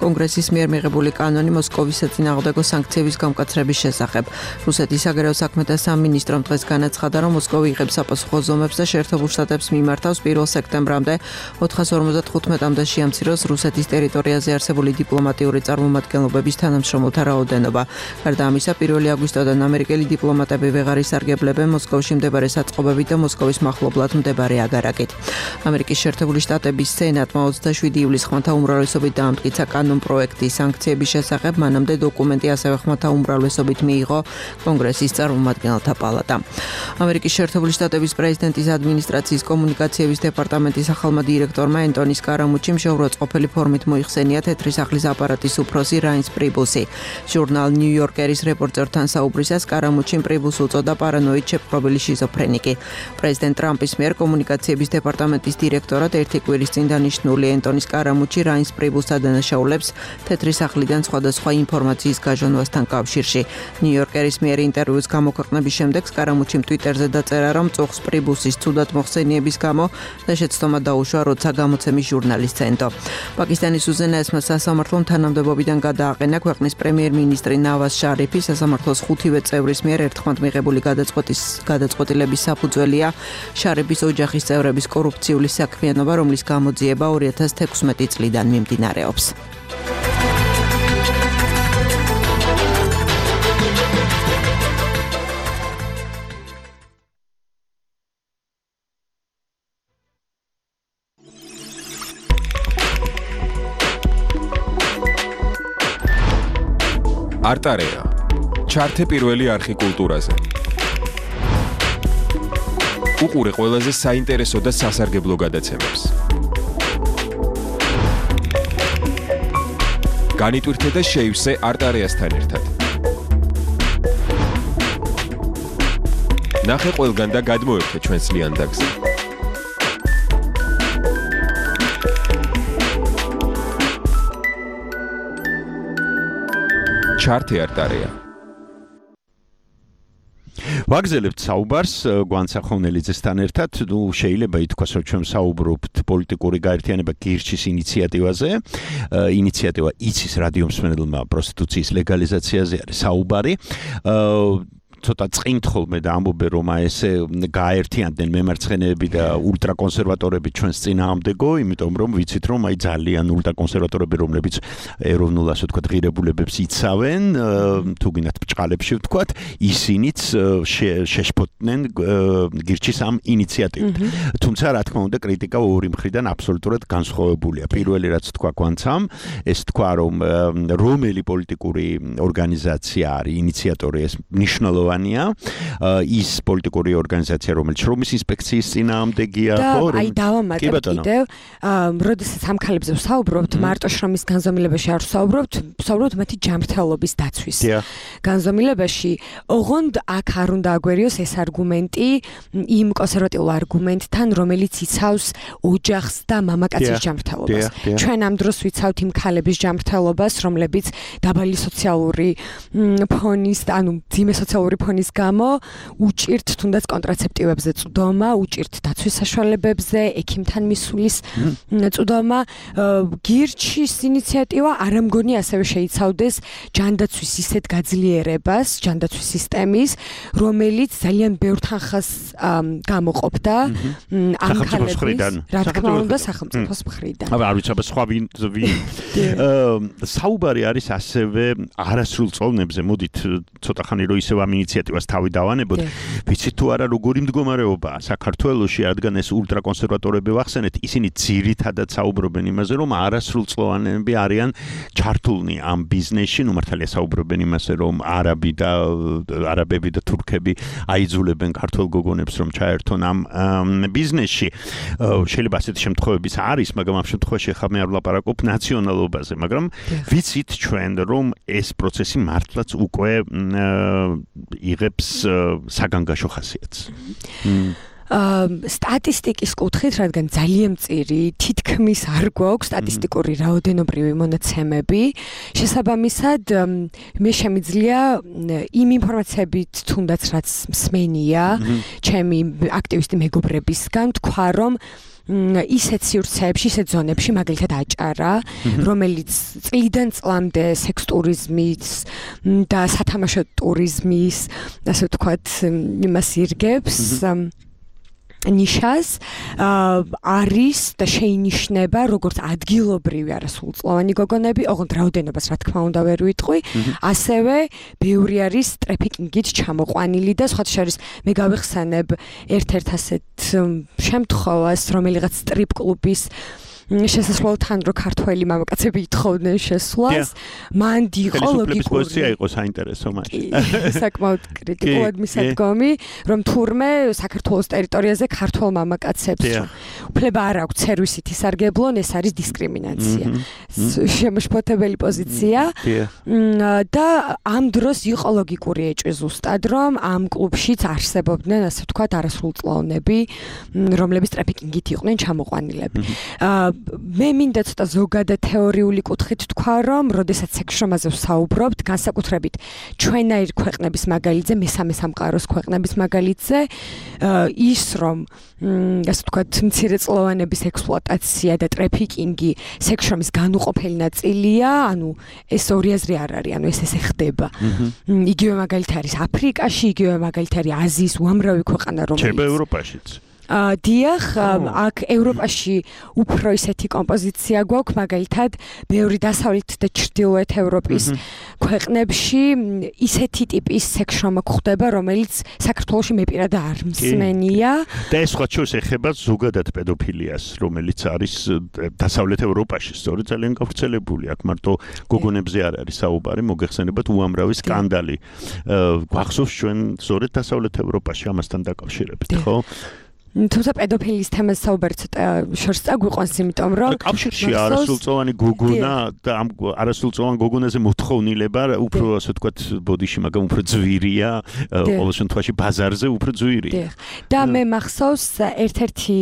Speaker 8: კონგრესის მიერ მიღებული კანონი მოსკოვის საწინააღმდეგო სანქციების გამკაცრების შესახებ. რუსეთის საგარეო საქმეთა სამინისტრომ დღეს განაცხადა, რომ მოსკოვი იღებს საპასუხო ზომებს და შეერთებულ შტატებს მიმართავს პირველ სექტემბრამდე ოთხას ორმოცდათხუთმეტამდე შეამციროს რუსეთის ტერიტორიაზე არსებული დიპლომატიური წარმომადგენლობების თანამშრომელთა რაოდენობა. გარდა ამისა, პირველი აგვისტოდან ამერიკელი დიპლომატები ვეღარ ისარგებლებენ მოსკოვში მდებარე საწყობებით და მოსკოვის მახლობლად მდებარე აგარაკით. ამერიკის შეერთებული შტატების სენატმა ოცდაშვიდი ივლისს ხმათა უმრავლესობით დაამტკიცა კანონ-პროექტი სანქციების შესახებ, მანამდე დოკუმენტი ასევე ხმათა უმრავლესობით მიიღო კონგრესის წარმომადგენელთა პალატამ. ამერიკის შეერთებული შტატების პრეზიდენტის ადმინისტრაციის კომუნიკაციების დეპარტამენტის ახალმა დირექტორმა ენტონი სკარამუჩიმ შეურაცხყოფელი ფორმით მოიხსენია თეთრი სახლის აპარატის უფროსი რაინს პრიბუსი. ჟურნალ ნიუ-იორკერის რეპორტერთან საუბრისას სკარამუჩიმ პრიბუსს უწოდა პარანოიდ შეპყრობილი შიზოფრენიკი. პრეზიდენტ ტრამპის მიერ კომუნიკაციების დეპარტამენტის დირექტორად ერთი კვირის წინ დანიშნული ენტონი სკარამუჩი რაინს პრიბუსს ადანაშაულებს თეთრი სახლიდან სხვადასხვა ინფორმაციის გაჟონვასთან კავშირში. ნიუ-იორკერის მიერ ინტერვიუს გამოქვეყნების შემდეგ სკარამუჩიმ ტვიტერზე დაწერა, რომ წუხს პრიბუსის ცუდად მოხსენიების გამო და შეცდომა დაუშვა, როცა გამოცემის ჟურნალის ცენტო. პაკისტანის უზენაესმა სასამართლომ თანამდებობიდან გადააყენა ქვეყნის პრემიერ-მინისტრი ნავაზ შარიფი. სასამართლოს ხუთივე წევრის მიერ ერთხმად მიღებული გადაწყვეტის გადაწყვეტილების საფუძველია შარიფის ოჯახის წევრების კორუფციული საქმიანობა, რომლის გამოძიება ორი ათას თექვსმეტი წლიდან მიმდინარეობს.
Speaker 9: არტარეა. ჩართე პირველი არხი კულტურაზე. უყურე ყველაზე საინტერესო და სასარგებლო გადაცემებს. განიტვირთე და შეივსე არტარეასთან ერთად. ნახე ყველგან და გადმოერთე ჩვენს ლიანდაგზე. ჩართე არტარეა.
Speaker 5: ვაგზელებთ საუბარს გვანცა ხოვნელიძესთან ერთად. ნუ შეიძლება ითქვას, რომ ჩვენ საუბრობთ პოლიტიკური გაერთიანება გირჩის ინიციატივაზე. ინიციატივა იცის რადიომსმენელმა პროსტიტუციის ლეგალიზაციაზე არის საუბარი. ცოტა წინ ხოლმე და ამბობენ, რომ ესე გაერთიანდნენ მემარცხენეები და ულტრაკონსერვატორები ჩვენს წინააღმდეგო, იმიტომ რომ ვიცით, რომ აი ძალიან ულტრაკონსერვატორები, რომლებიც ეროვნულ ასე ვთქვათ ღირებულებებს იცავენ, თუ გინდათ ბჭყალებში ვთქვათ, ისინიც შეშფოთდნენ გირჩის ამ ინიციატივით. თუმცა რა თქმა უნდა, კრიტიკა ორი მხრიდან აბსოლუტურად განსხვავებულია. პირველი რაც თქვა გვანცამ, ეს თქვა, რომ რომელი პოლიტიკური ორგანიზაცია არის ინიციატორი, ეს მნიშვნელოვანია. ის პოლიტიკური ორგანიზაცია, რომელიც რომის ინსპექციის წინააღმდეგია, ხო?
Speaker 7: აი დავამატებ კიდევ, როდესაც ამ ქალებზე ვსაუბრობთ, მარტო შრომის განზომილებაში არ ვსაუბრობთ, ვსაუბრობთ მათი ჯანმრთელობის დაცვის. განზომილებაში ოღონდ აქ არ უნდა აგვერიოს ეს არგუმენტი იმ კონსერვატიულ არგუმენტთან, რომელიც იცავს ოჯახს და მამაკაცის ჯანმრთელობას. ჩვენ ამ დროს ვიცავთ იმ ქალების ჯანმრთელობას, რომლებიც დაბალი სოციალური ფონის, ანუ ძიმე სოციალური ფონის გამო უჭირთ თუნდაც კონტრაცეპტივებზე წვდომა, უჭირთ დაცვის საშუალებებზე, ექიმთან მისulis წვდომა. გირჩის ინიციატივა არ ამგონი ასევე შეიცავდეს ჯანდაცვის ისეთ გაძლიერებას, ჯანდაცვის სისტემის, რომელიც ძალიან ბევრ თანხას გამოყოფდა ამ ქალების, რა თქმა უნდა, სახელმწიფოს მხრიდან.
Speaker 5: აბა არ ვიცი, აბა სხვა ვინ საუბარი არის ასევე არასრულ წოვნებზე. მოდით ცოტა ხანი რო ისევ ამ ინიციატივას თავი დავანებოთ. ვიცით თუ არა როგორი მდგომარეობაა საქართველოში, რადგან ეს ულტრაკონსერვატორები ვახსენეთ, ისინი ძირითადად საუბრობენ იმაზე, რომ არასრულწლოვანები არიან ჩართულნი ამ ბიზნესში, ნუ მართალია საუბრობენ იმაზე, რომ არაბი და არაბები და თურქები აიძულებენ ქართველ გოგონებს, რომ ჩაერთონ ამ ბიზნესში. შეიძლება ასეთი შემთხვევებიც არის, მაგრამ ამ შემთხვევაში ხა მე არ ვლაპარაკობ ნაციონალობაზე, მაგრამ ვიცით ჩვენ, რომ ეს პროცესი მართლაც უკვე იღებს საგანგაშო ხასიათს.
Speaker 7: სტატისტიკის კუთხით, რადგან ძალიან მწირი, თითქმის არ გვაქვს სტატისტიკური რაოდენობრივი მონაცემები, შესაბამისად მე შემიძლია იმ ინფორმაციებით თუნდაც რაც მსმენია, ჩემი აქტივისტი მეგობრებისგან თქვა, რომ ისეთ სივრცეებში, ისეთ ზონებში, მაგალითად აჭარა, რომელიც წლიდან წლამდე სექს ტურიზმის და სათამაშო ტურიზმის, ასე ვთქვათ, იმას ირგებს, ნიშას არის და შეინიშნება როგორც ადგილობრივი არასრულწლოვანი გოგონები, ოღონდ რაოდენობას რა თქმა უნდა ვერ ვიტყვი, ასევე ბევრი არის ტრაფიკინგით ჩამოყვანილი და სხვათა შორის მე გავიხსენებ ერთ-ერთ ასეთ შემთხვევას, რომელიღაც სტრიპ კლუბის შესასვლელთან რო ქართველი მამაკაცები ითხოვდნენ შესვლას, მან დიყო ლოგიკური
Speaker 5: იყო საინტერესო მაშინ.
Speaker 7: საკმაოდ კრიტიკულად მისადგომი, რომ თურმე საქართველოს ტერიტორიაზე ქართველ მამაკაცებს უფლება არ აქვს სერვისით ისარგებლონ, ეს არის დისკრიმინაცია. შემოშფოთებელი პოზიცია და ამ დროს იყო ლოგიკური ეჭვი ზუსტად, რომ ამ კლუბშიც არსებობდნენ, ასე ვთქვათ, არასრულწლოვნები, რომლებიც ტრაფიკინგით იყვნენ ჩამოყვანილები. მე მინდა ცოტა ზოგადად თეორიული კუთხით თქვა, რომ როდესაც სექშრომაზე ვსაუბრობთ, განსაკუთრებით ჩვენაირ ქვეყნების მაგალითზე, მესამე სამყაროს ქვეყნების მაგალითზე, ის რომ ასე ვთქვათ, მცირეწლოვანების ექსპლუატაცია და ტრაფიკინგი სექშრომის განუყოფელი ნაწილია, ანუ ეს ორი აზრი არ არის, ანუ ეს ესე ხდება. იგივე მაგალითი არის აფრიკაში, იგივე მაგალითი არის აზიის უამრავი ქვეყანა, რომელიც
Speaker 5: შეიძლება ევროპაშიც.
Speaker 7: დიახ, აქ ევროპაში უფრო ისეთი კომპოზიცია გვაქვს, მაგალითად, ბევრი დასავლეთ და ჩრდილოეთ ევროპის ქვეყნებში ისეთი ტიპის სექშრომა გვხდება, რომელიც საქართველოში მე პირადად არ მსმენია.
Speaker 5: და ეს სხვა შორის ეხება ზოგადად პედოფილიას, რომელიც არის დასავლეთ ევროპაში, სწორედ ძალიან გავრცელებული. აქ მარტო გოგონებზე არ არის საუბარი, მოგეხსენებათ უამრავი სკანდალი. გვახსოვს ჩვენ სწორედ დასავლეთ ევროპაში ამასთან დაკავშირებით, ხო?
Speaker 7: თუმცა პედოფილის თემაზე საუბარი ცოტა შორს წაგვიყვანს, იმიტომ რომ
Speaker 5: კავშირში არასრულწლოვანი გოგონა და ამ არასრულწლოვან გოგონაზე მოთხოვნილება უფრო ასე ვთქვათ ბოდიში, მაგრამ უფრო ძვირია, ყოველ შემთხვევაში ბაზარზე უფრო ძვირია.
Speaker 7: და მე მახსოვს ერთ-ერთი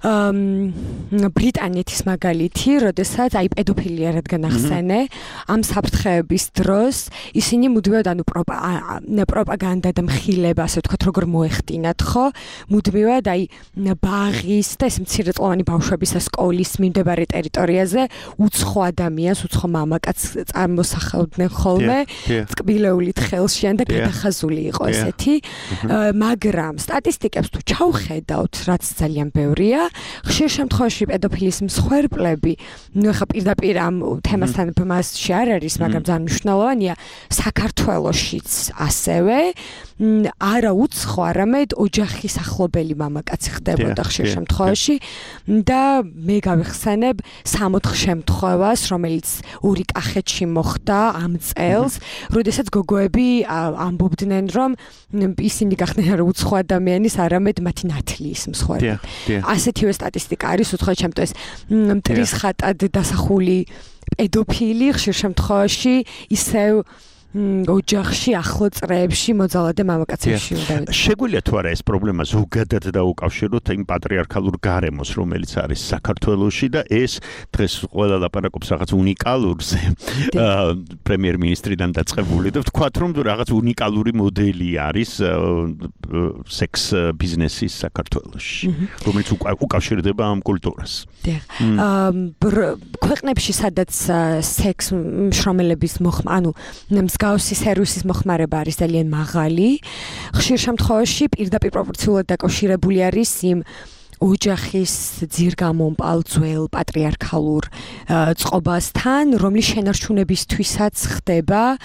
Speaker 7: ბრიტანეთის მაგალითი, როდესაც აი პედოფილია რადგან ახსენე, ამ საფრთხეების დროს ისინი მუდმივად ანუ პროპაგანდა და მხილება, ასე ვთქვათ, როგორ მოეხდინათ, ხო? მუდმივად აი ბაღის და ეს მცირეწლოვანი ბავშვების სკოლის მიმდებარე ტერიტორიაზე უცხო ადამიანს, უცხო მამაკაცს წარმოსახავდნენ ხოლმე, წკბილეულით ხელშიან და გადახაზული იყო ესეთი. მაგრამ სტატისტიკებს თუ ჩავხედავთ, რაც ძალიან ბევრია, ხშირ შემთხვევაში პედოფილის მსხვერპლები, ნუ ახლა პირდაპირ ამ თემასთან მასში არ არის, მაგრამ ძალიან მნიშვნელოვანია, საქართველოშიც ასევე არა უცხო, არამედ ოჯახის ახლობელი მამაკაცი ხდებოდა ხშირ შემთხვევაში და მე გავიხსენებ სამოთხ შემთხვევას, რომელიც ორი კახეთში მოხდა ამ წელს, როდესაც გოგოები ამბობდნენ, რომ ისინი გახდნენ არა უცხო ადამიანის, არამედ მათი ნათლის მსხვერპლი. ასეთივე სტატისტიკა არის, უცხოეთ შემთხვევაში მტრის ხატად დასახული პედოფილი ხშირ შემთხვევაში ისევ ოჯახში, ახლო წრეებში მოძალადე მამაკაცებში უნდა.
Speaker 5: შეგვიძლია თუ არა ეს პრობლემა ზოგადად დაუკავშიროთ იმ პატრიარქალურ გარემოს, რომელიც არის საქართველოში და ეს დღეს ყველა ლაპარაკობს რაღაც უნიკალურზე, პრემიერ-მინისტრიდან დაწყებული და ვთქვათ, რომ რაღაც უნიკალური მოდელი არის სექს ბიზნესის საქართველოში, რომელიც უკავშირდება ამ კულტურას.
Speaker 7: ქვეყნებში, სადაც სექს მშრომელების მოხმა, ანუ მსგავსი სერვისის მოხმარება არის ძალიან მაღალი, ხშირ შემთხვევაში პირდაპირ პროპორციულად დაკავშირებული არის იმ ოჯახის ძირგამომპალ ძველ პატრიარქალურ წყობასთან, რომლის შენარჩუნებისთვისაც ხდება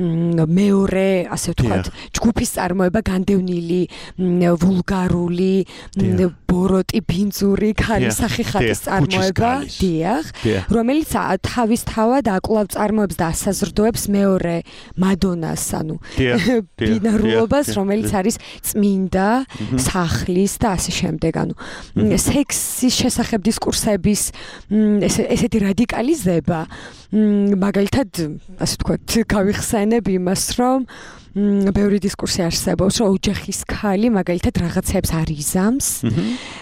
Speaker 7: მეორე, ასე ვთქვათ, ჯგუფის წარმოება განდევნილი, ვულგარული, ბოროტი, ბინძური, ქარისახი ხატის წარმოება, დიახ, რომელიც თავისთავად აკლავ წარმოებს და ასაზრდოებს მეორე მადონას, ანუ ბინარულობას, რომელიც არის წმინდა სახლის და ასე შემდეგ, ანუ სექსის შესახებ დისკურსების ესეთი რადიკალიზება, მაგალითად, ასე ვთქვათ, გავიხსენებ იმას, რომ ბევრი დისკურსი არსებობს, რომ ოჯახის ქალი მაგალითად რაღაცებს არ იზამს,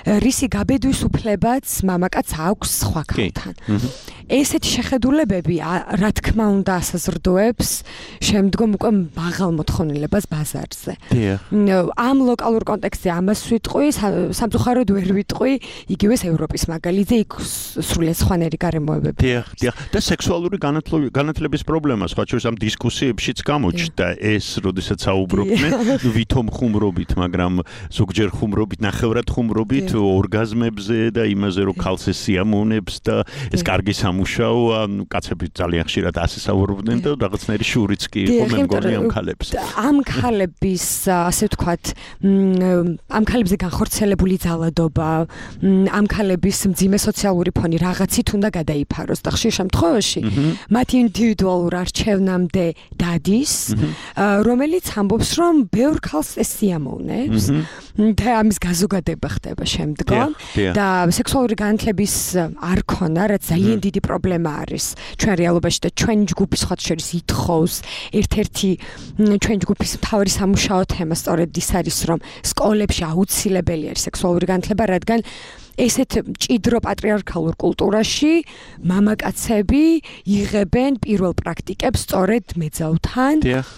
Speaker 7: რისი გაბედვის უფლებაც მამაკაც აქვს სხვა ქალთან. ესეთი შეხედულებები რა თქმა უნდა ასაზრდოებს შემდგომ უკვე მაღალ მოთხოვნილებას ბაზარზე. ამ ლოკალურ კონტექსტზე ამას ვიტყვი, სამწუხაროდ ვერ ვიტყვი იგივეს ევროპის მაგალითზე, იქ სრულიად სხვანაირი გარემოებები.
Speaker 5: დიახ, დიახ. და სექსუალური განათლების პრობლემა სხვა შორის ამ დისკუსიებშიც გამოჩნდა ეს, როდესაც საუბრობდნენ ვითომ ხუმრობით, მაგრამ ზოგჯერ ხუმრობით, ნახევრად ხუმრობით ორგაზმებზე და იმაზე, რომ ქალს სიამოვნებს და ეს კარგი სამუშაოა, კაცები ძალიან ხშირად ასე საუბრობდნენ და რაღაცნაირი შურიც კი იყო მე მგონი ამ ქალებს.
Speaker 7: ამ ქალების, ასე ვთქვათ, ამ ქალებზე განხორციელებული ძალადობა, ამ ქალების მძიმე სოციალური ფონი რაღაცით უნდა გადაიფაროს და ხშირ შემთხვევაში მათ ინდივიდუალურ არჩევნამდე დადის, რომელიც ამბობს, რომ ბევრ ქალს ეს სიამოვნებს და ამის გაზოგადება ხდება შემდგომ და სექსუალური განათლების არ ქონა, რაც ძალიან დიდი პრობლემა არის ჩვენ რეალობაში და ჩვენ ჯგუფი სხვა შორის ითხოვს ერთ-ერთი ჩვენ ჯგუფის მთავარი სამუშაო თემა სწორედ ის არის, რომ სკოლებში აუცილებელი არის სექსუალური განათლება, რადგან ესეთ მჭიდრო პატრიარქალურ კულტურაში მამაკაცები იღებენ პირველ პრაქტიკებს სწორედ მეძავთან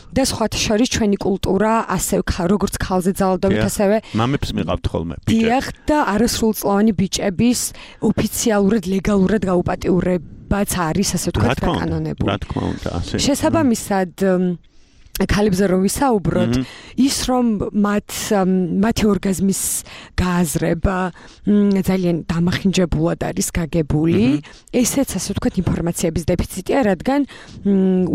Speaker 7: და სხვათა შორის ჩვენი კულტურა ასევე როგორც ქალზე ძალადობით ასევე
Speaker 5: მამებს მიყავთ ხოლმე ბიჭები.
Speaker 7: დიახ და არასრულწლოვანი ბიჭების ოფიციალურად ლეგალურად გაუპატიურებაც არის ასე ვთქვათ კანონებული.
Speaker 5: რა თქმა უნდა, ასე.
Speaker 7: შესაბამისად ქალებზე რომ ვისაუბროთ, ის რომ მათ მათი ორგაზმის გააზრება ძალიან დამახინჯებულად არის გაგებული, ესეც ასე ვთქვათ ინფორმაციების დეფიციტია, რადგან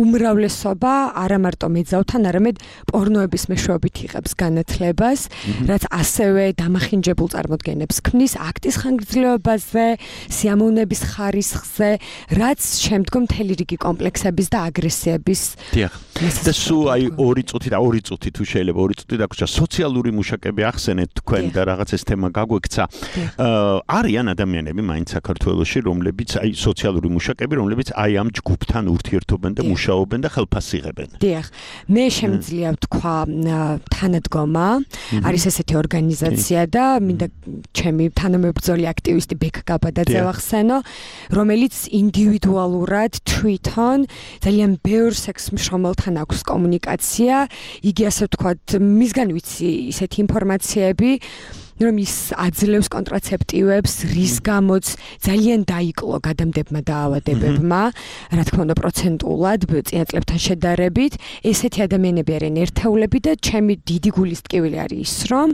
Speaker 7: უმრავლესობა არა მარტო მეძავთან, არამედ პორნოების მეშვეობით იღებს განათლებას, რაც ასევე დამახინჯებულ წარმოდგენებს ქმნის აქტის ხანგრძლივობაზე, სიამოვნების ხარისხზე, რაც შემდგომ მთელი რიგი კომპლექსების და აგრესიების
Speaker 5: და სულ აი ორი წუთი და ორი წუთი თუ შეიძლება ორი წუთი დაგვრჩა სოციალური მუშაკები ახსენეთ თქვენ და რაღაც ეს თემა გაგვექცა. არიან ადამიანები მაინც საქართველოში, რომლებიც აი სოციალური მუშაკები, რომლებიც აი ამ ჯგუფთან ურთიერთობენ და მუშაობენ და ხელფასს იღებენ.
Speaker 7: დიახ. მე შემიძლია ვთქვა თანადგომა, არის ესეთი ორგანიზაცია და მინდა ჩემი თანამებრძოლი აქტივისტი ბექ გაბადაძე ვახსენო, რომელიც ინდივიდუალურად თვითონ ძალიან ბევრ სექს მშრომელთან აქვს კომუნიკაცია, იგი ასე ვთქვათ, მისგან ვიცი ისეთი ინფორმაციები, რომ ის აძლევს კონტრაცეპტივებს, რის გამოც ძალიან დაიკლო გადამდებმა დაავადებებმა, რა თქმა უნდა პროცენტულად წინა წლებთან შედარებით, ესეთი ადამიანები არიან ერთეულები და ჩემი დიდი გულის ტკივილი არის ის, რომ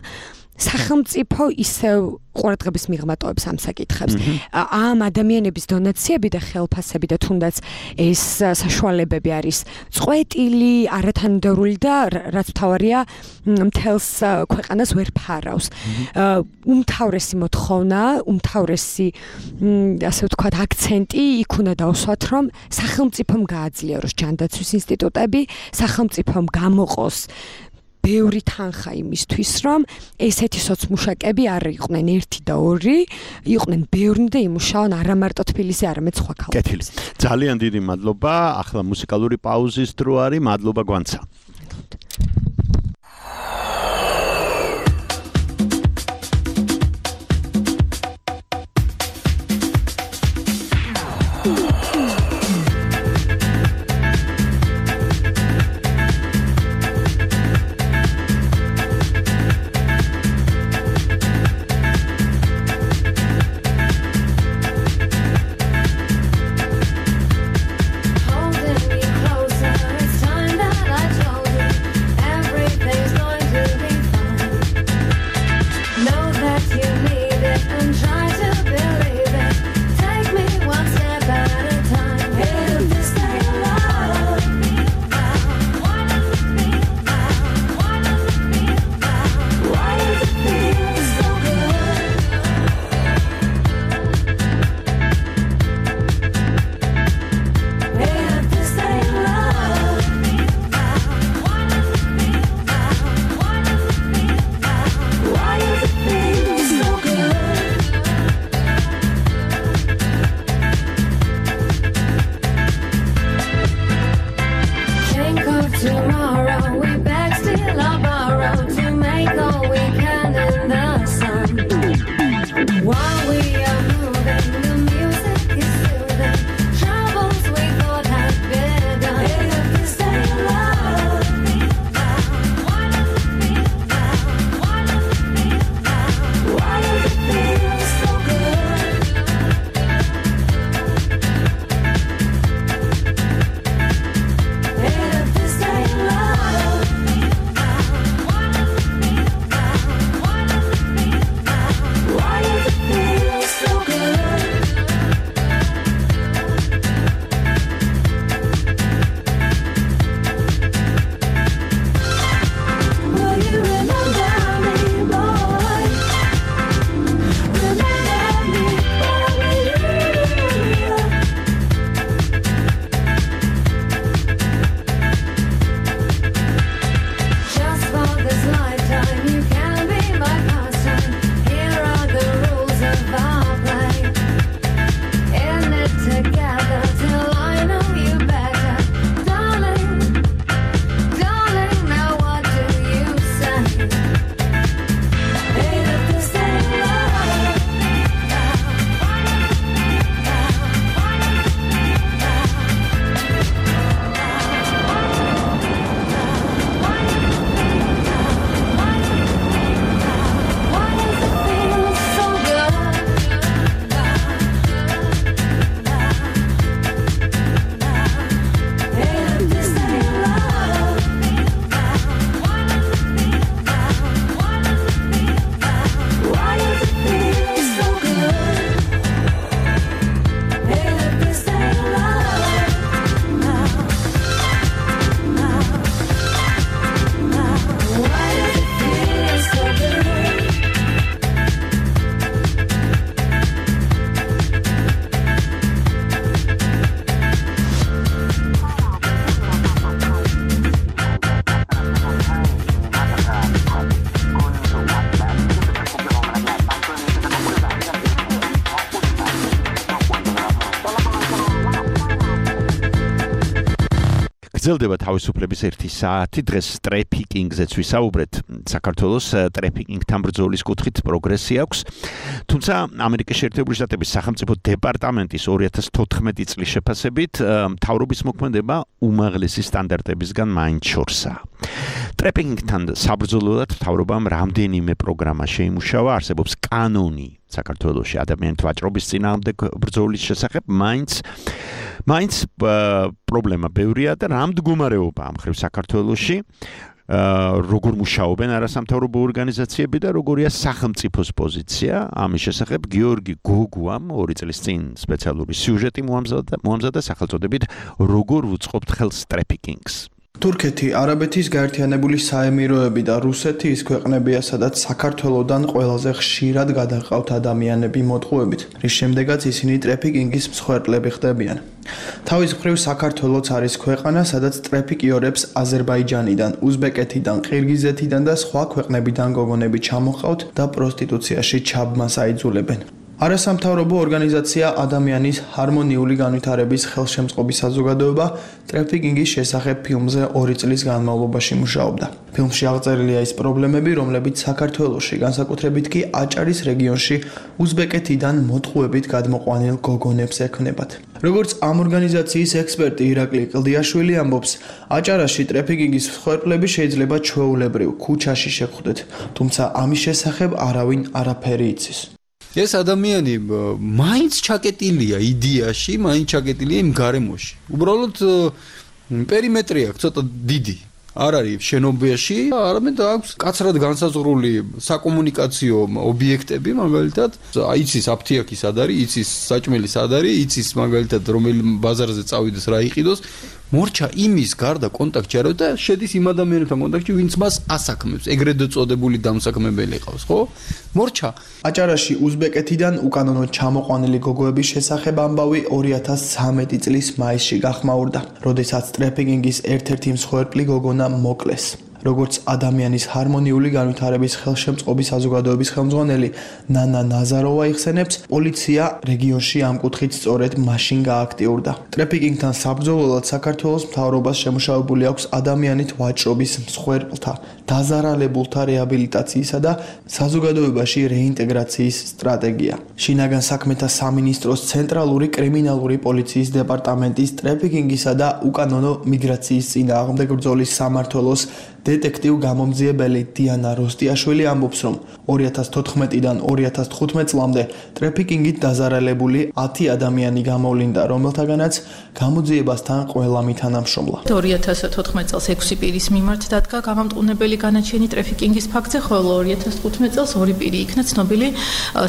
Speaker 7: სახელმწიფო ისევ ყურადღების მიღმატოებს ამ საკითხებს. ამ ადამიანების დონაციები და ხელფასები და თუნდაც ეს საშუალებები არის წყვეტილი, არათანადარული და რაც მთავარია, მთელს ქვეყანას ვერ ფარავს. უმთავრესი მოთხოვნა, უმთავრესი ასე ვთქვათ აქცენტი იქ უნდა დავსვათ, რომ სახელმწიფომ გააძლიეროს ჯანდაცვის ინსტიტუტები, სახელმწიფომ გამოყოს ბევრი თანხა იმისთვის, რომ ესეთი სოცმუშაკები არ იყვნენ ერთი და ორი, იყვნენ ბევრი და იმუშაონ არა მარტო თბილისში, არამედ სხვა ქალაქებში.
Speaker 5: ძალიან დიდი მადლობა. ახლა მუსიკალური პაუზის დრო არის. მადლობა გვანცა.
Speaker 6: Tomorrow we better
Speaker 5: გრძელდება თავისუფლების ერთი საათი. დღეს ტრეფიკინგზეც ვისაუბრეთ. საქართველოს ტრეფიკინგთან ბრძოლის კუთხით პროგრესი აქვს. თუმცა ამერიკის შეერთებული შტატების სახელმწიფო დეპარტამენტის ორი ათას თოთხმეტი წლის შეფასებით მთავრობის მოქმედება უმაღლესი სტანდარტებისგან მაინც შორსაა. ტრეფიკინგთან საბრძოლველად მთავრობამ რამდენიმე პროგრამა შეიმუშავა, არსებობს კანონი საქართველოში ადამიანთა ვაჭრობის წინააღმდეგ ბრძოლის შესახებ, მაინც მაინც პრობლემა ბევრია და რა მდგომარეობა ამ ხრივ საქართველოში, როგორ მუშაობენ არასამთავრობო ორგანიზაციები და როგორია სახელმწიფოს პოზიცია ამის შესახებ გიორგი გოგუამ ორი წლის წინ სპეციალური სიუჟეტი მოამზადა სახელწოდებით როგორ ვუწყობთ ხელს ტრეფიკინგს.
Speaker 10: თურქეთი, არაბეთის გაერთიანებული საემიროები და რუსეთი ის ქვეყნებია, სადაც საქართველოდან ყველაზე ხშირად გადაყავთ ადამიანები მოტყუებით, რის შემდეგაც ისინი ტრეფიკინგის მსხვერპლები ხდებიან. თავის მხრივ საქართველოც არის ქვეყანა, სადაც ტრეფიკიორებს აზერბაიჯანიდან, უზბეკეთიდან, ყირგიზეთიდან და სხვა ქვეყნებიდან გოგონები ჩამოჰყავთ და პროსტიტუციაში ჩაბმას აიძულებენ. არასამთავრობო ორგანიზაცია ადამიანის ჰარმონიული განვითარების ხელშემწყობის საზოგადოება ტრეფიკინგის შესახებ ფილმზე ორი წლის განმავლობაში მუშაობდა. ფილმში აღწერილია ის პრობლემები, რომლებიც საქართველოში, განსაკუთრებით კი აჭარის რეგიონში უზბეკეთიდან მოტყუებით გადმოყვანილ გოგონებს ექმნებათ. როგორც ამ ორგანიზაციის ექსპერტი ირაკლი კლდიაშვილი ამბობს, აჭარაში ტრეფიკინგის მსხვერპლები შეიძლება ჩვეულებრივ ქუჩაში შეხვდეთ, თუმცა ამის შესახებ არავინ არაფერი იცის.
Speaker 11: ეს ადამიანი მაინც ჩაკეტილია იდეაში, მაინც ჩაკეტილია იმ გარემოში. უბრალოდ პერიმეტრი აქვს ცოტა დიდი. არ არის შენობებში, არამედ აქვს კაცრად განსაზღვრული საკომუნიკაციო ობიექტები, მაგალითად, იცის აფთიაქი სად არის, იცის საჭმელი სად არის, იცის მაგალითად რომელი ბაზარზე წავიდეს რა იყიდოს. მორჩა იმის გარდა კონტაქტში არის და შედის იმ ადამიანებთან კონტაქტში, ვინც მას ასაქმებს, ეგრეთ წოდებული დამსაქმებელი ყავს, ხო? მორჩა
Speaker 10: აჭარაში უზბეკეთიდან უკანონოდ ჩამოყვანილი გოგოების შესახებ ამბავი ორი ათას ცხრამეტი წლის მაისში გახმაურდა, როდესაც ტრეფიკინგის ერთ-ერთი მსხვერპლი გოგონა მოკლეს. როგორც ადამიანის ჰარმონიული განვითარების ხელშემწყობის საზოგადოების ხელმძღვანელი ნანა ნაზაროვა იხსენებს, პოლიცია რეგიონში ამ კუთხით სწორედ მაშინ გააქტიურდა. ტრეფიკინგთან საბრძოლველად საქართველოს მთავრობას შემუშავებული აქვს ადამიანით ვაჭრობის მსხვერპლთა, დაზარალებულთა რეაბილიტაციისა და საზოგადოებაში რეინტეგრაციის სტრატეგია. შინაგან საქმეთა სამინისტროს ცენტრალური კრიმინალური პოლიციის დეპარტამენტის ტრეფიკინგისა და უკანონო მიგრაციის წინააღმდეგ ბრძოლის სამმართველოს დეტექტივ გამომძიებელი დიანა როსტიაშვილი ამბობს, რომ ორი ათას თოთხმეტიდან ორი ათას თხუთმეტ წლამდე ტრეფიკინგით დაზარალებული ათი ადამიანი გამოვლინდა, რომელთაგანაც გამოძიებასთან ყველა მითანამშრომლა.
Speaker 12: ორი ათას თოთხმეტ წელს ექვსი პირის მიმართ დადგა გამამტყუნებელი განაჩენი ტრეფიკინგის ფაქტზე, ხოლო ორი ათას თხუთმეტ წელს ორი პირი იქნა ცნობილი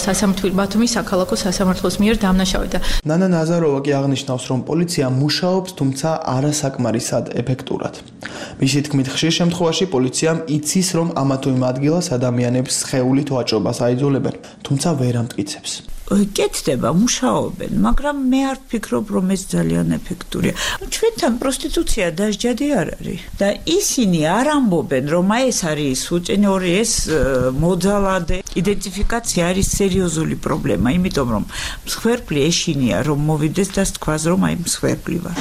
Speaker 12: სასამართლო ბათუმის საქალაქო სასამართლოს მიერ დამნაშავე.
Speaker 10: ნანა ნაზაროვა კი აღნიშნავს, რომ პოლიცია მუშაობს, თუმცა არასაკმარისად ეფექტურად. მისი თქმით, ხშირ შემთხვევაში პოლიციამ იცის, რომ ამა თუ იმ ადგილას ადამიანებს სხეულით ვაჭრობას აიძულებენ, თუმცა ვერ ამტკიცებს.
Speaker 13: კეთდება, მუშაობენ, მაგრამ მე არ ვფიქრობ, რომ ეს ძალიან ეფექტურია. ჩვენთან პროსტიტუცია დასჯადი არ არის და ისინი არ ამბობენ, რომ აი ეს არის უწინორი, ეს მოძალადე. იდენტიფიკაცია არის სერიოზული პრობლემა, იმიტომ რომ მსხვერპლი ეშინია, რომ მოვიდეს და თქვას, რომ აი მსხვერპლი ვარ.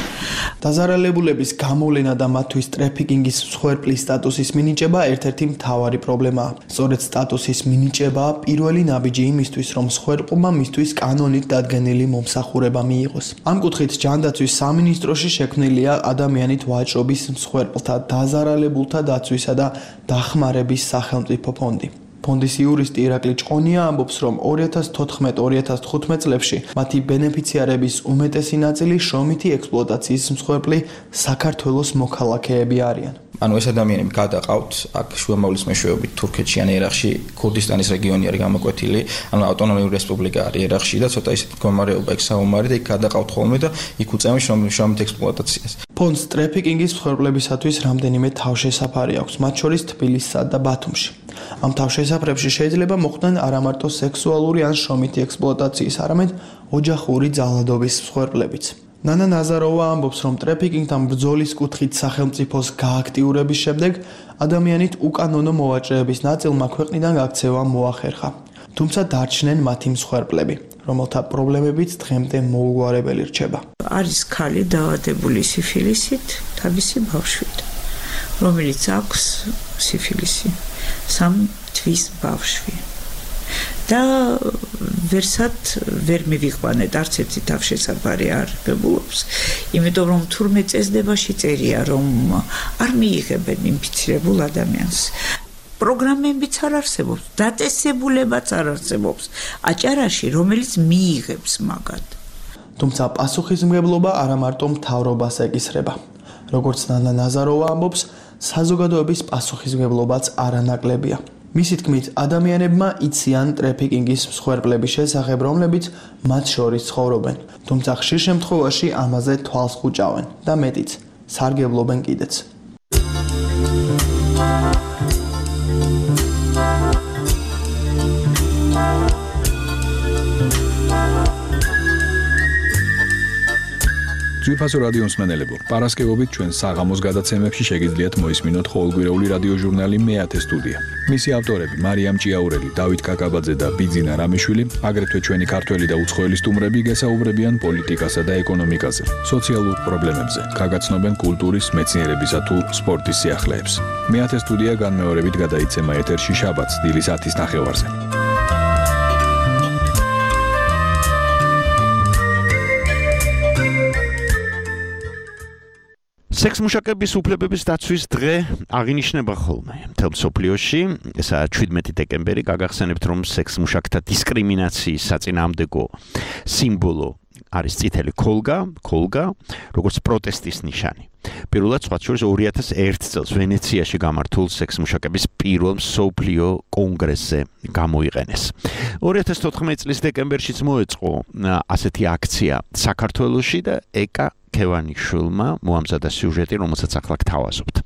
Speaker 10: დაზარალებულების გამოვლენა და მათთვის ტრეფიკინგის მსხვერპლის სტატუსის მინიჭება ერთ-ერთი მთავარი პრობლემაა. სწორედ სტატუსის მინიჭება პირველი ნაბიჯი იმისთვის, რომ მსხვერპლმა მისთვის კანონით დადგენილი მომსახურება მიიღოს. ამ კუთხით ჯანდაცვის სამინისტროში შექმნილია ადამიანით ვაჭრობის მსხვერპლთა, დაზარალებულთა დაცვისა და დახმარების სახელმწიფო ფონდი. ფონდის იურისტი ირაკლი ჭყონია ამბობს, რომ ორი ათას თოთხმეტ ორი ათას თხუთმეტ წლებში მათი ბენეფიციარების უმეტესი ნაწილი შრომითი ექსპლუატაციის მსხვერპლი საქართველოს მოქალაქეები არიან.
Speaker 14: ანუ ეს ადამიანები გადაყავთ აქ შუამავლის მეშვეობით თურქეთში ან ერაყში, ქურდისტანის რეგიონი არის გამოკვეთილი, ანუ ავტონომიური რესპუბლიკა არის ერაყში და ცოტა ისეთი მდგომარეობა იქ საომარი და იქ გადაყავთ ხოლმე და იქ უწევენ შრომით ექსპლუატაციას. ფონდს ტრეფიკინგის მსხვერპლებისათვის რამდენიმე თავშესაფარი აქვს, მათ შორის თბილისსა და ბათუმში. ამ თავშესაფრებში შეიძლება მოხვდნენ არა მარტო სექსუალური ან შრომითი ექსპლუატაციის, არამედ ოჯახური ძალადობის მსხვერპლებიც. ნანა ნაზაროვა ამბობს, რომ ტრეფიკინგთან ბრძოლის კუთხით სახელმწიფოს გააქტიურების შემდეგ ადამიანით უკანონო მოვაჭრეების ნაწილმა ქვეყნიდან გაქცევა მოახერხა. თუმცა დარჩნენ მათი მსხვერპლები, რომელთა პრობლემებიც დღემდე მოუგვარებელი რჩება.
Speaker 13: არის ქალი დაავადებული სიფილისით, თავისი ბავშვით, რომელიც აქვს სიფილისი, სამ თვის ბავშვი. და ვერსად ვერ მივიყვანეთ არც ერთი თავშესაფარი არ ღებულობს, იმიტომ რომ თურმე წესდებაში წერია, რომ არ მიიღებენ ინფიცირებულ ადამიანს. პროგრამებიც არ არსებობს, დაწესებულებაც არ არსებობს აჭარაში, რომელიც მიიღებს მაგათ.
Speaker 10: თუმცა პასუხისმგებლობა არა მარტო მთავრობას ეკისრება. როგორც ნანა ნაზაროვა ამბობს, საზოგადოების პასუხისმგებლობაც არანაკლებია. მისი თქმით, ადამიანებმა იციან ტრაფიკინგის მსხვერპლების შესახებ, რომლებიც მათ შორის ცხოვრობენ, თუმცა ხშირ შემთხვევაში ამაზე თვალს ხუჭავენ და მეტიც, სარგებლობენ კიდეც.
Speaker 4: ძვირფასო რადიო მსმენელებო, პარასკევობით ჩვენ საღამოს გადაცემებში შეგიძლიათ მოისმინოთ ყოველკვირეული რადიო ჟურნალი მეათე სტუდია. მისი ავტორები მარიამ ჭიაურელი, დავით კაკაბაძე და ბიძინა რამიშვილი, აგრეთვე ჩვენი ქართველი და უცხოელი სტუმრები გესაუბრებიან პოლიტიკასა და ეკონომიკაზე, სოციალურ პრობლემებზე, გაგაცნობენ კულტურის, მეცნიერებისა თუ სპორტის სიახლეებს. მეათე სტუდია განმეორებით გადაიცემა ეთერში შაბათს დილის ათის ნახევარზე.
Speaker 5: სექსმუშაკების უფლებების დაცვის დღე აღინიშნება ხოლმე მთელ მსოფლიოში. ესაა შვიდმეტი დეკემბერი, გაგახსენებთ, რომ სექსმუშაკთა დისკრიმინაციის საწინააღმდეგო სიმბოლო არის წითელი ქოლგა, ქოლგა, როგორც პროტესტის ნიშანი. პირველად სხვა შორის ორი ათას ერთი წელს ვენეციაში გამართულ სექსმუშაკების პირველ მსოფლიო კონგრესზე გამოიყენეს. ორი ათას თოთხმეტი წლის დეკემბერშიც მოეწყო ასეთი აქცია საქართველოში და ეკა ქევანიშვილმა მოამზადა სიუჟეტი, რომელსაც ახლა გთავაზობთ.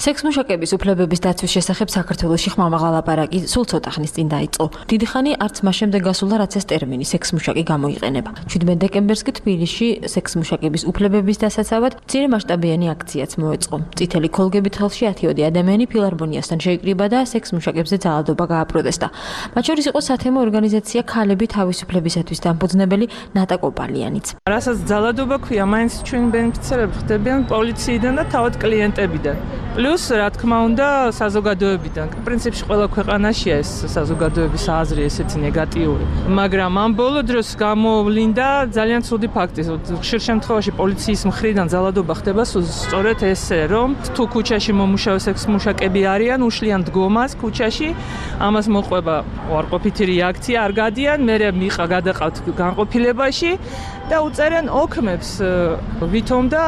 Speaker 15: სექსმუშაკების უფლებების დაცვის შესახებ საქართველოში ხმამაღლა ლაპარაკი სულ ცოტა ხნის წინ დაიწყო. დიდი ხანი არც მას შემდეგ გასულა, რაც ეს ტერმინი სექსმუშაკი გამოიყენება. შვიდმეტი დეკემბერს კი თბილისში სექსმუშაკების უფლებების დასაცავად მცირე მასშტაბიანი აქციაც მოეწყო. წითელი ქოლგებით ხელში ათიოდე ადამიანი ფილარმონიასთან შეიკრიბა და სექსმუშაკებზე ძალადობა გააპროტესტა. მათ შორის იყო სათემო ორგანიზაცია ქალები თავისუფლებისათვის დამფუძნებელი ნატა კოპალიანიც.
Speaker 16: რასაც ძალადობა ქვია, მაინც ჩვენ ბენეფიციარები ხდებიან პოლიციიდან და თავად კლიენტებიდან. Plus, რა თქმა უნდა, საზოგადოებიდან. პრინციპში ყველა ქვეყანაშია ეს საზოგადოების აზრი ესეთი ნეგატიური. მაგრამ ამ ბოლო დროს გამოვლინდა ძალიან ცუდი ფაქტი. ხშირ შემთხვევაში პოლიციის მხრიდან ძალადობა ხდება სწორედ ესე, რომ თუ ქუჩაში მომუშავე სექსმუშაკები არიან, უშლიან დგომას ქუჩაში, ამას მოყვება უარყოფითი რეაქცია, არ გადიან, მერე მიყა გადაყავთ განყოფილებაში და უწერენ ოქმებს ვითომ და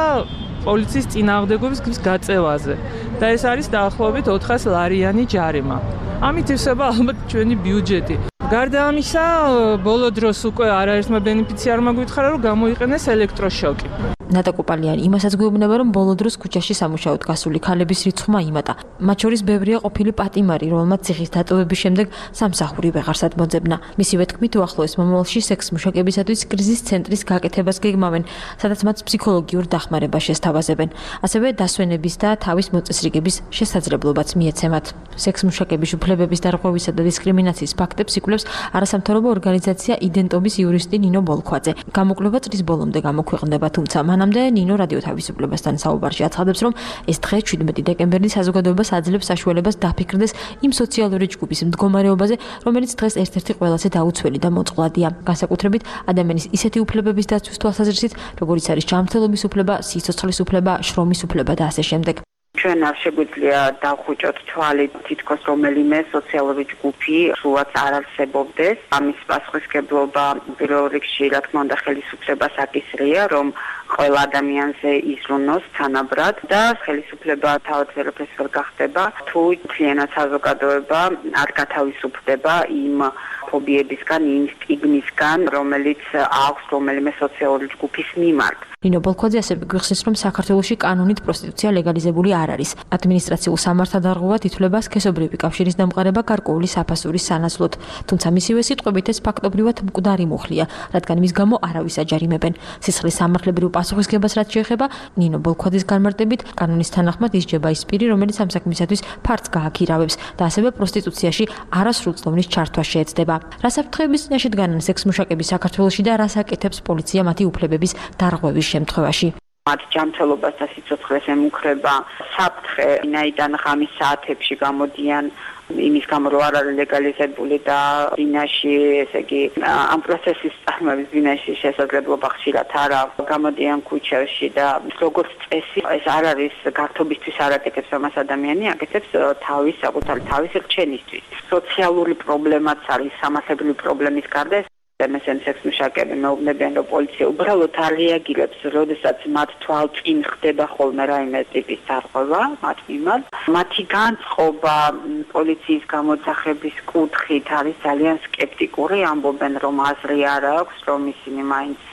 Speaker 16: პოლიციის წინააღმდეგობის გზის გაწევაზე და ეს არის დაახლოებით ოთხას ლარიანი ჯარიმა. ამით ივსება ალბათ ჩვენი ბიუჯეტი. გარდა ამისა, ბოლო დროს უკვე არაერთმა ბენეფიციარმა გვითხრა, რომ გამოიყენეს ელექტროშოკი.
Speaker 15: ნატა კოპალიანი იმასაც გვეუბნება, რომ ბოლო დროს ქუჩაში სამუშაოდ გასული ქალების რიცხვმა იმატა. მათ შორის ბევრია ყოფილი პატიმარი, რომელმაც ციხის დატოვების შემდეგ სამსახური ვეღარსად მოძებნა. მისივე თქმით, უახლოეს მომავალში სექსმუშაკებისათვის კრიზის ცენტრის გაკეთებას გეგმავენ, სადაც მათ ფსიქოლოგიურ დახმარებას შესთავაზებენ. ასევე დასვენების და თავის მოწესრიგების შესაძლებლობაც მიეცემათ. სექსმუშაკების უფლებების დარღვევისა და დისკრიმინაციის ფაქტებს იკვლევს არასამთავრობო ორგანიზაცია იდენტობის იურისტი ნინო ბოლქვაძე. გამოკვლევა წლის ბოლომდე გამოქვეყნდება, თუმცა მანამდე ნინო რადიო თავისუფლებასთან საუბარში აცხადებს, რომ ეს დღე შვიდმეტი დეკემბერი საზოგადოებას აძლევს საშუალებას დაფიქრდეს იმ სოციალური ჯგუფის მდგომარეობაზე, რომელიც დღეს ერთ-ერთი ყველაზე დაუცველი და მოწყვლადია. განსაკუთრებით ადამიანის ისეთი უფლებების დაცვის თვალსაზრისით, როგორიც არის ჯანმრთელობის უფლება, სიცოცხლის უფლება, შრომის უფლება და ასე შემდეგ.
Speaker 17: ჩვენ არ შეგვიძლია დავხვიჭოთ თვალი თითქოს რომელიმე სოციალური ჯგუფი სულაც არ არსებობდეს. ამის პასუხისმგებლობა პირველ რიგში, რა თქმა უნდა, ხელისუფლებას აკისრია, რომ ყველა ადამიანზე იზრუნოს თანაბრად და ხელისუფლება თავად ვერაფერს ვერ გახდება, თუ მთლიანად საზოგადოება არ გათავისუფლდება იმ ფობიებისგან, იმ სტიგმისგან, რომელიც აქვს რომელიმე სოციალური ჯგუფის მიმართ.
Speaker 15: ნინო ბოლქვაძე ასევე გვიხსნის, რომ საქართველოში კანონით პროსტიტუცია ლეგალიზებული არ არის. ადმინისტრაციულ სამართალდარღვევად ითვლება სქესობრივი კავშირის დამყარება გარკვეული საფასურის სანაცვლოდ. თუმცა მისივე სიტყვებით ეს ფაქტობრივად მკვდარი მუხლია, რადგან მის გამო არავის აჯარიმებენ. სისხლის სამართლებრივ პასუხისმგებლობას რაც შეეხება, ნინო ბოლქვაძის განმარტებით, კანონის თანახმად ისჯება ის პირი, რომელიც ამ საქმისათვის ფართს გააქირავებს და ასევე პროსტიტუციაში არასრულწლოვნის ჩართვა შეეცდება. რასაფრთხეების წინაშე დგანან სექსმუშაკები საქართველოში და რას აკეთებს პოლიცია მათი უფლებების დარღვევის შემთხვევაში.
Speaker 17: მათ ჯანმრთელობას და სიცოცხლეს ემუქრება საფრთხე, ვინაიდან ღამის საათებში გამოდიან იმის გამო რომ არ არის ლეგალიზებული და ბინაში, ესე იგი, ამ პროცესის წარმოების ბინაში შესაძლებლობა ხშირად არ აქვს. გამოდიან ქუჩაში და როგორც წესი, ეს არ არის გართობისთვის არ აკეთებს ამას ადამიანი, აკეთებს თავის საკუთარი თავის რჩენისთვის. სოციალური პრობლემაც არის სამართლებრივი პრობლემის გარდა. მესენ სექსმუშაკები მეუბნებიან, რომ პოლიცია უბრალოდ არ რეაგირებს, როდესაც მათ თვალწინ ხდება ხოლმე რაიმე ტიპის დარღვევა მათ მიმართ. მათი განწყობა პოლიციის გამოძახების კუთხით არის ძალიან სკეპტიკური, ამბობენ, რომ აზრი არ აქვს, რომ ისინი მაინც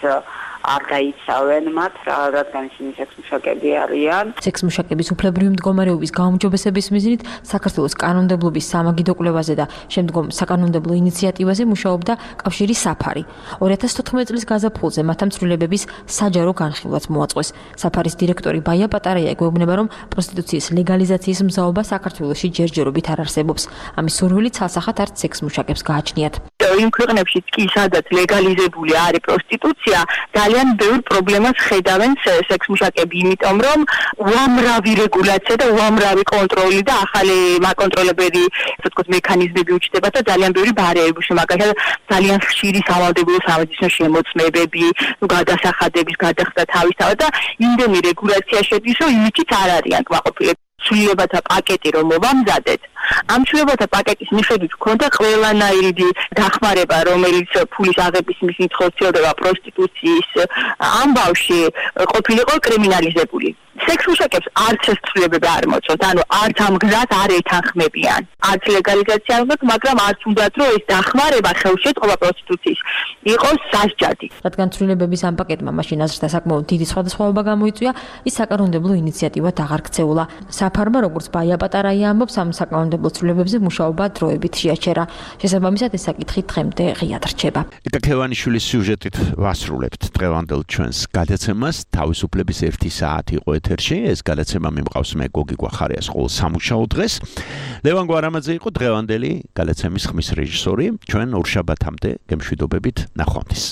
Speaker 17: არ გაიცავენ მათ, რადგან ისინი სექსმუშაკები არიან.
Speaker 15: სექსმუშაკების უფლებრივი მდგომარეობის გაუმჯობესების მიზნით საქართველოს კანონმდებლობის სამაგიდო კვლევაზე და შემდგომ საკანონმდებლო ინიციატივაზე მუშაობდა კავშირი საფარი. ორი ათას თოთხმეტი წლის გაზაფხულზე მათ ამ ცვლილებების საჯარო განხილვაც მოაწყვეს. საფარის დირექტორი ბაია პატარაია ეგვეუბნება, რომ პროსტიტუციის ლეგალიზაციის მზაობა საქართველოში ჯერჯერობით არ არსებობს. ამის სურვილი ცალსახად არც სექსმუშაკებს გააჩნიათ.
Speaker 18: იმ ქვეყნებშიც კი სადაც ლეგალიზებული არის პროსტიტუცია, ძალიან ბევრ პრობლემას ხედავენ სექსმუშაკები, იმიტომ რომ უამრავი რეგულაცია და უამრავი კონტროლი და ახალი მაკონტროლებერი, ასე ვთქვათ, მექანიზმები უჩნდება და ძალიან ბევრი ბარიერები, მაგალითად, ძალიან ხშირი სავალდებულო სამედიცინო შემოწმებები, გადასახადების გადახდა თავისთავად და იმდენი რეგულაცია შედის, რომ იმითიც არ არიან კმაყოფილები. ცვლილებათა პაკეტი რომ მოვამზადეთ, ამ ცვლილებათა პაკეტის მიხედვით გვქონდა ყველანაირი დახმარება, რომელიც ფულის აღების მიზნით ხორციელდება პროსტიტუციის ამბავში, ყოფილიყო კრიმინალიზებული. სექსმუშაკებს არც ეს ცვლილებები არ მოწონთ, ანუ არც ამ გზას არ ეთანხმებიან. არც ლეგალიზაცია არ უნდა, მაგრამ არც უნდათ, რომ ეს დახმარება ხელშეწყობა პროსტიტუციის იყოს სასჯადი.
Speaker 15: რადგან ცვლილებების ამ პაკეტმა მაშინ აზრთა საკმაოდ დიდი სხვადასხვაობა გამოიწვია, ის საკანონმდებლო ინიციატივად აღარ ქცეულა. საფარმა, როგორც ბაია პატარაია ამბობს, ამ საკანონმდებლო ცვლილებებზე მუშაობა დროებით შეაჩერა. შესაბამისად, ეს საკითხი დღემდე ღიად რჩება.
Speaker 5: ეკაკევანიშვილის სიუჟეტით ვასრულებთ დღევანდელ ჩვენს გადაცემას. თავისუფლების ერთი საათი იყო ეთერში. ეს გადაცემა მიმყავს მე გოგი გვახარიას ყოველ სამუშაო დღეს. ლევან გვარამაძე იყო დღევანდელი გადაცემის ხმის რეჟისორი. ჩვენ ორშაბათამდე გემშვიდობებით, ნახვამდის.